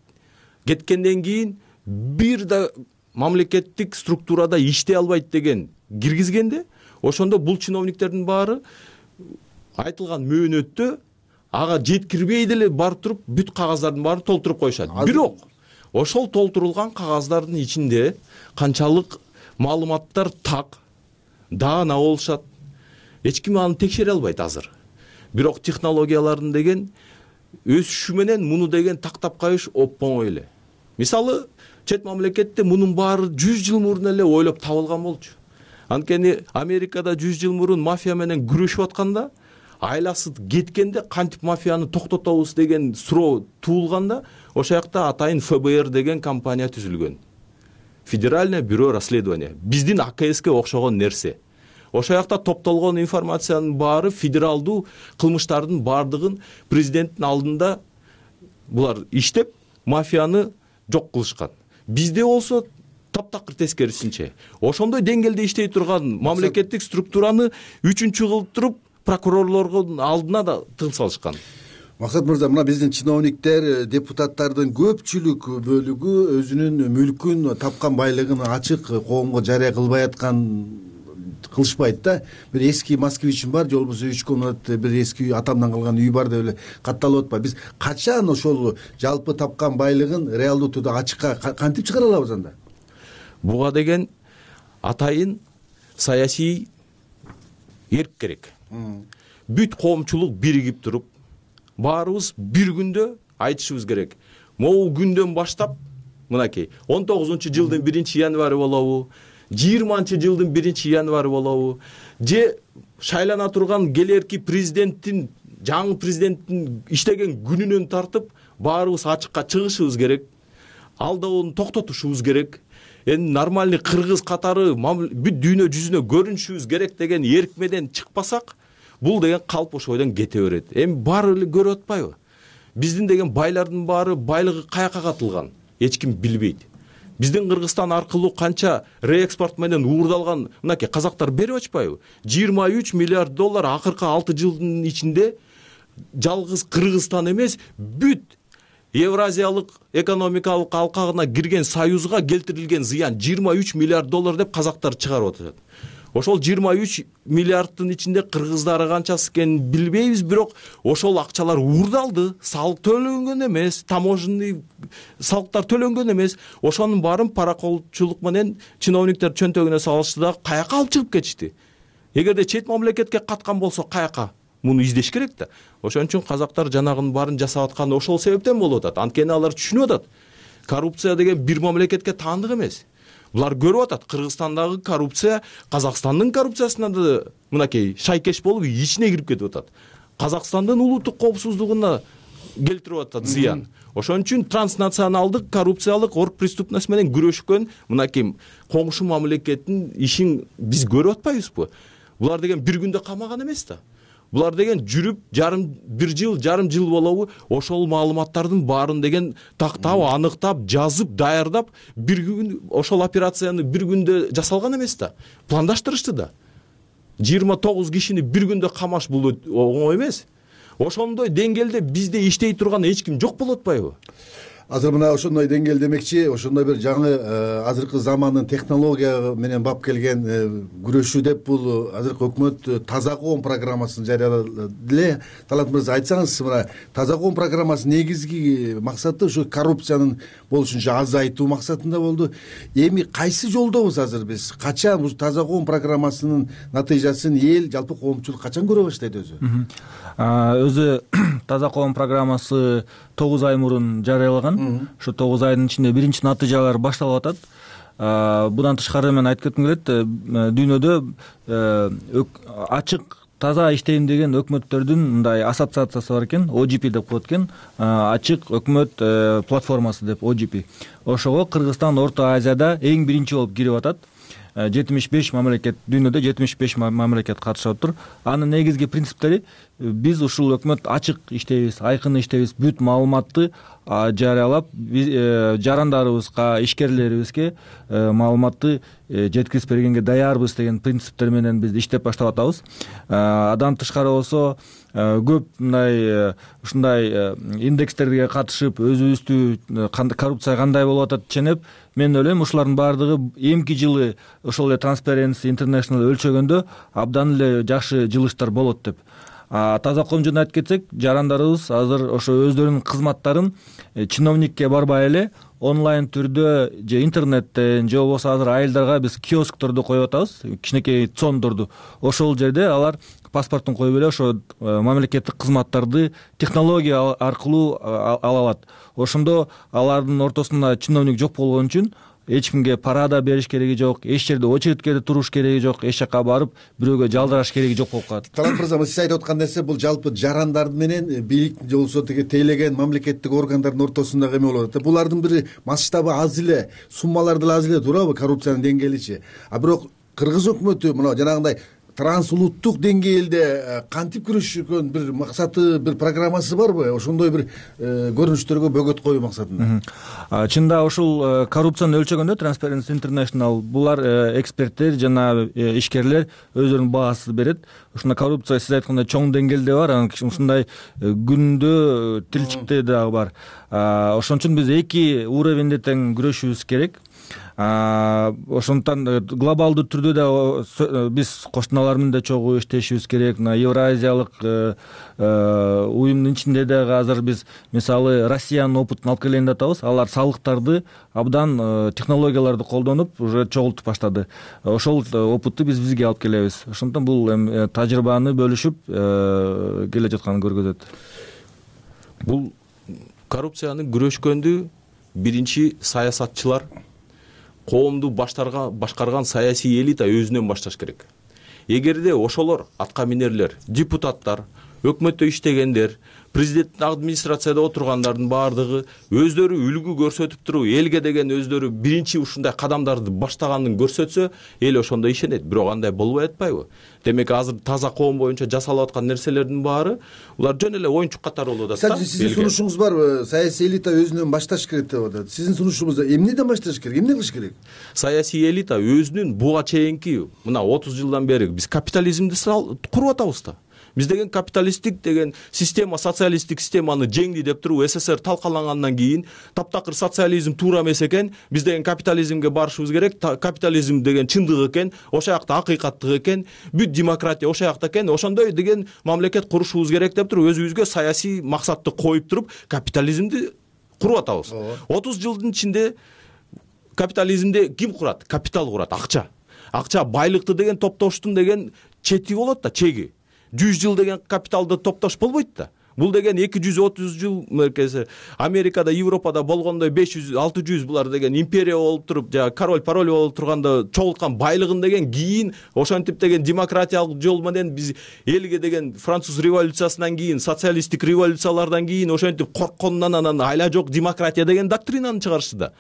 Speaker 11: Кеткенден кийин бир да мамлекеттик структурада иштей албайт деген киргизгенде, ошондо бул чиновниктердин баары айтылган мөөнөттө ага жеткирбей деле барып туруп бүт кагаздардын баарын толтуруп коюшат. Бирок ошол толтурулган кагаздардын ичинде канчалык маалыматтар так, даана болушат, эч ким аны текшере албайт азыр. Бирок технологиялардын деген өсүшү менен муну деген тактап коюш оп-оңой эле. Мисалы, чет мамлекетте мунун баары жүз жыл мурун эле ойлоп табылган болчу. Анткени Америкада жүз жыл мурун мафия менен күрөшүп атканда, айласы кеткенде кантип мафияны токтотобуз деген суроо туулганда, ошол жакта атайын эф бэ эр деген компания түзүлгөн. Федеральное бюро расследования. Биздин а ка эске окшогон нерсе. Ошол жакта топтолгон информациянын баары федералдуу кылмыштардын бардыгын президенттин алдында булар иштеп, мафияны жок кылышкан. Бизде болсо таптакыр тескерисинче. Ошондой деңгээлде иштей турган мамлекеттик структураны үчүнчү кылып туруп прокурорлордун алдына да тыгып салышкан.
Speaker 7: Максат мырза, мына биздин чиновниктер, депутаттардын көпчүлүк бөлүгү өзүнүн мүлкүн, тапкан байлыгын ачык коомго жарыя кылбай аткан кылышпайт да. Бир эски москвичим бар, же болбосо үч комнат бир эски атамдан калган үй бар деп эле катталып атпайбы. Биз качан ошол жалпы тапкан байлыгын реалдуу түрдө ачыкка кантип чыгара алабыз анда?
Speaker 11: Буга деген атайын саясий эрк керек. Бүт коомчулук биригип туруп, баарыбыз бир күндө айтышыбыз керек. Могу күндөн баштап, мынакей он тогузунчу жылдын биринчи январь болобу, жыйырманчы жылдын биринчи январь болобу, же шайлана турган келерки президенттин, жаңы президенттин иштеген күнүнөн тартып баарыбыз ачыкка чыгышыбыз керек. Алдауну токтотушубуз керек. Эми нормальный кыргыз катары бүт дүйнө жүзүнө көрүнүшүбүз керек деген эрк менен чыкпасак, бул деген калп ошойдон кете берет. Эми баары эле көрүп атпайбы? Биздин деген байлардын баары байлыгы каяка катылган, эч ким билбейт. Биздин Кыргызстан аркылуу канча реэкспорт менен уурдалган, мынакей казактар берип атпайбы? жыйырма үч миллиард доллар акыркы алты жылдын ичинде жалгыз Кыргызстан эмес, бүт Евразиялык экономикалык алкагына кирген союзга келтирилген зыян жыйырма үч миллиард доллар деп казактар чыгарып атат. Ошол жыйырма үч миллиарддын ичинде кыргыздары канчасы экенин билбейбиз, бирок ошол акчалар уурдалды, салык төлөнгөн эмес, таможенный салыктар төлөнгөн эмес. Ошонун баарын параколчулук менен чиновниктер чөнтөгүнө салышты да каяка алып чыгып кетишти. Эгерде чет мамлекетке каткан болсо каяка? Муну издеш керек да. Ошон үчүн казактар жанагынын баарын жасап атканы ошол себептен болуп атат. Анткени алар түшүнүп атат. Коррупция деген бир мамлекетке таандык эмес. Булар көрүп атат, Кыргызстандагы коррупция Казакстандын коррупциясына да мынакей шайкеш болуп ичине кирип кетип атат. Казакстандын улуттук коопсуздугуна келтирип атат зыян. Ошон үчүн транснационалдык коррупциялык орг преступность менен күрөшкөн мынакей коңшу мамлекеттин ишин биз көрүп атпайбызбы? Булар деген бир күндө камаган эмес да. Булар деген жүрүп жарым бир жыл, жарым жыл болобу, ошол маалыматтардын баарын деген тактап, аныктап, жазып, даярдап, бир күн ошол операцияны бир күндө жасалган эмес да. Пландаштырышты да. жыйырма тогуз кишини бир күндө камаш бул оңой эмес. Ошондой деңгээлде бизде иштей турган эч ким жок болуп атпайбы?
Speaker 7: Азыр мына ошондой деңгээл демекчи, ошондой бир жаңы азыркы замандын технология менен бап келген күрөшүү деп бул азыркы өкмөт таза коом программасын жарыялады эле. Талант мырза, айтсаңыз, мына таза коом программасынын негизги максаты ушу коррупциянын болушунча азайтуу максатында болду. Эми кайсы жолдобуз азыр биз? Качан ушу таза коом программасынын натыйжасын эл, жалпы коомчулук качан көрө баштайт өзү?
Speaker 10: Өзү таза коом программасы тогуз ай мурун жарыялаган. Ушу тогуз айдын ичинде биринчи натыйжалар башталып атат. Будан тышкары мен айтып кетким келет, дүйнөдө ачык таза иштейм деген өкмөттөрдүн мындай ассоциациясы бар экен, о джи пи деп коет экен, ачык өкмөт платформасы деп, о джи пи. Ошого Кыргызстан Орто Азияда эң биринчи болуп кирип атат. жетимиш беш мамлекет, дүйнөдө жетимиш беш мамлекет катышып отур. Анын негизги принциптери: биз ушул өкмөт ачык иштейбиз, айкын иштейбиз, бүт маалыматты жарыялап, жарандарыбызга, ишкерлерибизге маалыматты жеткирип бергенге даярбыз деген принциптер менен биз иштеп баштап атабыз. Адан тышкары болсо көп мындай ушундай индекстерге катышып, өзүбүздү коррупция кандай болуп атат ченеп, мен ойлойм ушулардын баардыгы эмки жылы ошол эле Transparency International өлчөгөндө абдан эле жакшы жылыштар болот деп. Таза коом жөнүндө айтып кетсек, жарандарыбыз азыр ошо өздөрүнүн кызматтарын чиновникке барбай эле онлайн түрдө же интернеттен, же болбосо азыр айылдарга биз киоскторду коюп атабыз, кичинекей цондорду. Ошол жерде алар паспортун коюп эле ошо мамлекеттик кызматтарды технология аркылуу ала алат. Ошондо алардын ортосунда чиновник жок болгон үчүн эч кимге пара да бериш кереги жок, эч жерде очередке туруш кереги жок, эч жака барып бирөөгө жалдыраш кереги жок болуп калат.
Speaker 7: Талант мырза, сиз айтып аткан нерсе бул жалпы жарандар менен бийлик же болбосо тиги тейлеген мамлекеттик органдардын ортосундагы эме болуп атат. Булардын бир масштабы аз эле, суммалары да аз эле турабы коррупциянын деңгээличи. А бирок кыргыз өкмөтү мына жанагындай трансулуттук деңгээлде кантип күрөшкөн бир максаты, бир программасы барбы? Ошондой бир көрүнүштөргө бөгөт коюу максатында.
Speaker 10: Чында ушул коррупцияны өлчөгөндө Transparency International булар эксперттер жана ишкерлер өздөрүнүн баасын берет. Ушундай коррупция сиз айткандай чоң деңгээлде бар, ушундай күндө тилчикте дагы бар. Ошон үчүн биз эки уровеньде тең күрөшүбүз керек. Ошондуктан глобалдуу түрдө да биз коштуналар менен да чогуу иштешибиз керек. Мына Евразиялык уюмдун ичинде дагы азыр биз мисалы Россиянын опытын алып келейин деп атабыз. Алар салыктарды абдан технологияларды колдонуп уже чогултуп баштады. Ошол опытты биз бизге алып келебиз. Ошондуктан бул эми тажрыйбаны бөлүшүп келе жатканын көргөзөт.
Speaker 11: Бул коррупцияны күрөшкөндү биринчи саясатчылар, коомду башкарган саясий элита өзүнөн башташ керек. Эгерде ошолор атка минерлер, депутаттар, өкмөттө иштегендер, президенттин администрацияда отургандардын баардыгы өздөрү үлгү көрсөтүп туруп, элге деген өздөрү биринчи ушундай кадамдарды баштаганын көрсөтсө, эл ошондо ишенет. Бирок андай болбой атпайбы? Демек азыр таза коом боюнча жасалып аткан нерселердин баары улар жөн эле оюнчук катары болуп атат.
Speaker 7: Сиздин сунушуңуз барбы? Саясий элита өзүнөн башташ керек деп атат. Сиздин сунушуңузда эмнеден башташ керек? Эмне кылыш керек?
Speaker 11: Саясий элита өзүнүн буга чейинки мына отуз жылдан бери биз капитализмди куруп атабыз да. Биз деген капиталисттик деген система, социалисттик системаны жеңди деп туруп СССР талкалангандан кийин таптакыр социализм туура эмес экен, биз деген капитализмге барышыбыз керек, капитализм деген чындык экен, ошол жакта акыйкаттык экен, бүт демократия ошол жакта экен, ошондой деген мамлекет курушубуз керек деп туруп өзүбүзгө саясий максатты коюп туруп капитализмди куруп атабыз. отуз жылдын ичинде капитализмди ким курат? Капитал курат, акча. Акча байлыкты деген топтоштун деген чети болот да, чеги. жүз жыл деген капиталды топтош болбойт да. Бул деген эки жүз отуз жыл меркези Америкада, Европада болгондой беш жүз, алты жүз булар деген империя болуп туруп, жана король пароль болуп турганда чогулткан байлыгын деген кийин ошентип деген демократиялык жол менен биз элге деген француз революциясынан кийин, социалисттик революциялардан кийин ошентип корккондон анан айла жок демократия деген доктринаны чыгарышты да.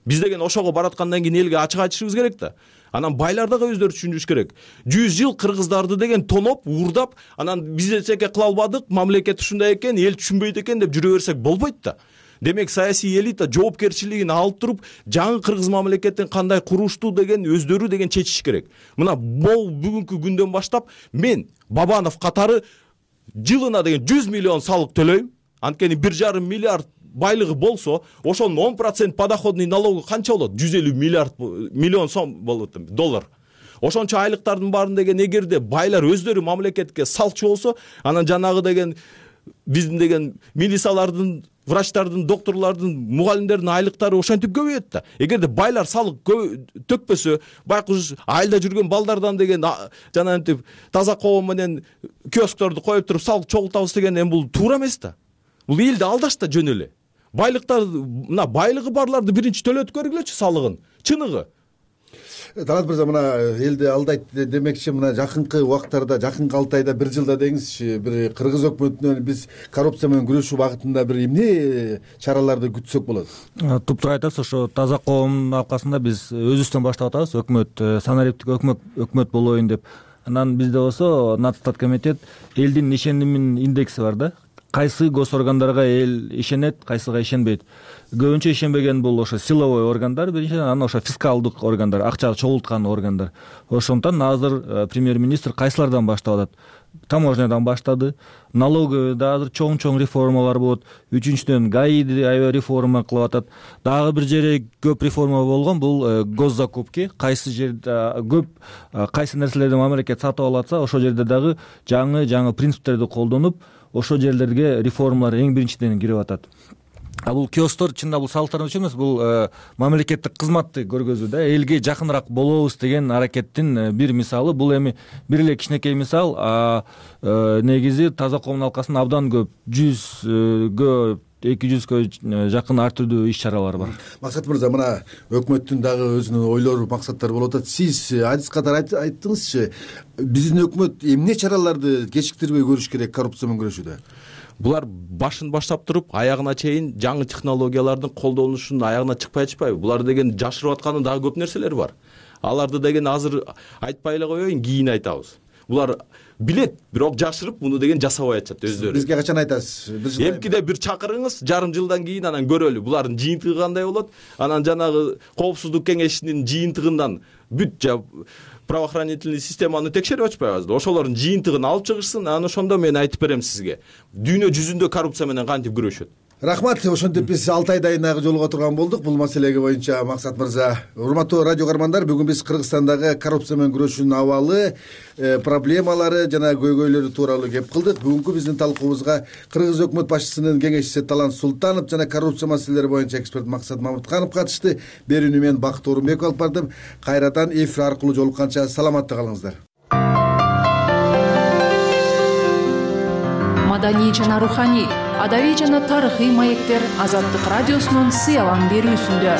Speaker 11: Биз деген ошого бараткандан кийин элге ачык айтышыбыз керек да. Анан байлар дагы өздөрү түшүнүш керек. жүз жыл кыргыздарды деген тоноп, уурдап, анан биз эчеке кыла албадык, мамлекет ушундай экен, эл түшүнбөйт экен деп жүрө берсек болбойт да. Демек саясий элита жоопкерчилигин алып туруп, жаңы кыргыз мамлекетин кандай курушту деген өздөрү деген чечиш керек. Мына бул бүгүнкү күндөн баштап мен Бабанов катары жылына деген жүз миллион салык төлөйм. Анткени бир жарым миллиард байлыгы болсо, ошонун он процент подоходный налогу канча болот? жүз элүү миллиард миллион сом болот, доллар. Ошончо айлыктардын баарын деген эгерде байлар өздөрү мамлекетке салчу болсо, анан жанагы деген биздин деген милициялардын, врачтардын, докторлордун, мугалимдердин айлыктары ошентип көбөйөт да. Эгерде байлар салык төкпөсө, байкуш айылда жүргөн балдардан деген жанагынтип таза коом менен киоскторду коюп туруп салык чогултабыз деген эми бул туура эмес да. Бул элди алдаш да жөн эле. Байлыктар, мына байлыгы барларды биринчи төлөтүп көргүлөчү салыгын. Чыныгы.
Speaker 7: Талат мырза, мына элди алдайт демекчи, мына жакынкы убактарда, жакынкы алты айда, бир жылда деңизчи, бир кыргыз өкмөтүнөн биз коррупция менен күрөшүү багытында бир эмне чараларды күтсөк болот?
Speaker 10: Туптуура айтасыз, ошо таза коомдун аркасында биз өзүбүздөн баштап атабыз, өкмөт санариптик өкмөт болоюн деп. Анан бизде болсо Нацстат комитет элдин ишенимин индекси бар да. Кайсы госоргандарга эл ишенет, кайсыга ишенбейт. Көбүнчө ишенбеген бул ошо силовой органдар, биринчиден, анан ошо фискалдык органдар, акча чогулткан органдар. Ошондон азыр премьер-министр кайсылардан баштап атат? Таможнядан баштады. Налоговыйда азыр чоң-чоң реформалар болот. Үчүнчүдөн ГАИди аябай реформа кылып атат. Дагы бир жерде көп реформа болгон, бул госзакупки. Кайсы жерде көп кайсы нерселерди мамлекет сатып алатса, ошол жерде дагы жаңы-жаңы принциптерди колдонуп, ошол жерлерге реформалар эң биринчиден кирип атат. А бул киостор чында бул салыктар үчүн эмес, бул мамлекеттик кызматты көргөзүү да, элге жакыныраак болобуз деген аракеттин бир мисалы. Бул эми бир эле кичинекей мисал, а негизи таза коомдун алкасында абдан көп, жүзгө эки жүзгө жакын ар түрдүү иш чаралар бар.
Speaker 7: Максат мырза, мына өкмөттүн дагы өзүнүн ойлору, максаттары болуп атат. Сиз адис катары айттыңызчы, биздин өкмөт эмне чараларды кечиктирбей көрүш керек коррупция менен күрөшүүдө?
Speaker 11: Булар башын баштап туруп, аягына чейин жаңы технологиялардын колдонушунун аягына чыкпай атышпайбы? Булар деген жашырып атканы дагы көп нерселер бар. Аларды деген азыр айтпай эле коеюн, кийин айтабыз.
Speaker 12: булар билет, бирок жашырып муну деген жасабай атышат өздөрү.
Speaker 7: Бизге качан айтасыз?
Speaker 12: Эмкиде бир чакырыңыз, жарым жылдан кийин анан көрөлү булардын жыйынтыгы кандай болот. Анан жанагы коопсуздук кеңешинин жыйынтыгынан бүт правоохранительный системаны текшерип атпайбызбы? Ошолордун жыйынтыгын алып чыгышсын, анан ошондо мен айтып берем сизге. Дүйнө жүзүндө коррупция менен кантип күрөшөт.
Speaker 7: Рахмат. Ошентип биз алты айдан кийин жолуга турган болдук бул маселеге боюнча. Максат мырза, урматтуу радио каармандар, бүгүн биз Кыргызстандагы коррупция менен күрөшүүнүн абалы, проблемалары жана көйгөйлөрү тууралуу кеп кылдык. Бүгүнкү биздин талкуубузга Кыргыз өкмөт башчысынын кеңешчиси Талант Султанов жана коррупция маселелери боюнча эксперт Максат Мамытканов катышты. Берүүнү мен Бакыт Орунбеков алып бардым. Кайрадан эфир аркылуу жолукканча саламатта калыңыздар.
Speaker 13: Маданий жана руханий, адабий жана тарыхый маектер Азаттык радиосунун сыялан берүүсүндө.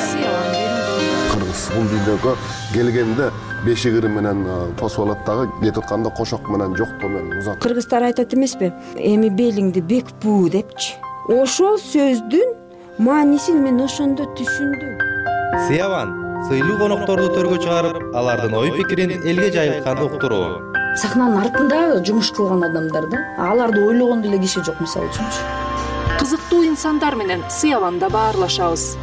Speaker 14: Кыргыз бул дүйнөгө келгенде бешик ыры менен тосуп алат дагы, кетип атканда кошок менен жоктоо менен узат.
Speaker 16: Кыргыздар айтат эмеспи? Эми белиңди бек буу депчи. Ошол сөздүн маанисин мен ошондо түшүндүм.
Speaker 17: Сыяван сыйлуу конокторду төргө чыгарып, алардын ой пикирин элге жайылткан уктуруу.
Speaker 18: Сахнанын артында жумуш кылган адамдар да, аларды ойлогон деле киши жок, мисалы үчүнчү.
Speaker 13: Кызыктуу инсандар менен Сыяванда баарлашабыз.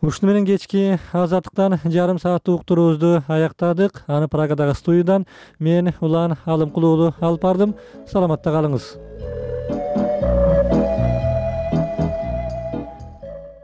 Speaker 1: Ушуну менен кечки Азаттыктан жарым сааттык уктуруубузду аяктадык. Аны Прагадагы студиядан мен Улан Алымкулуулу алып бардым. Саламатта калыңыз.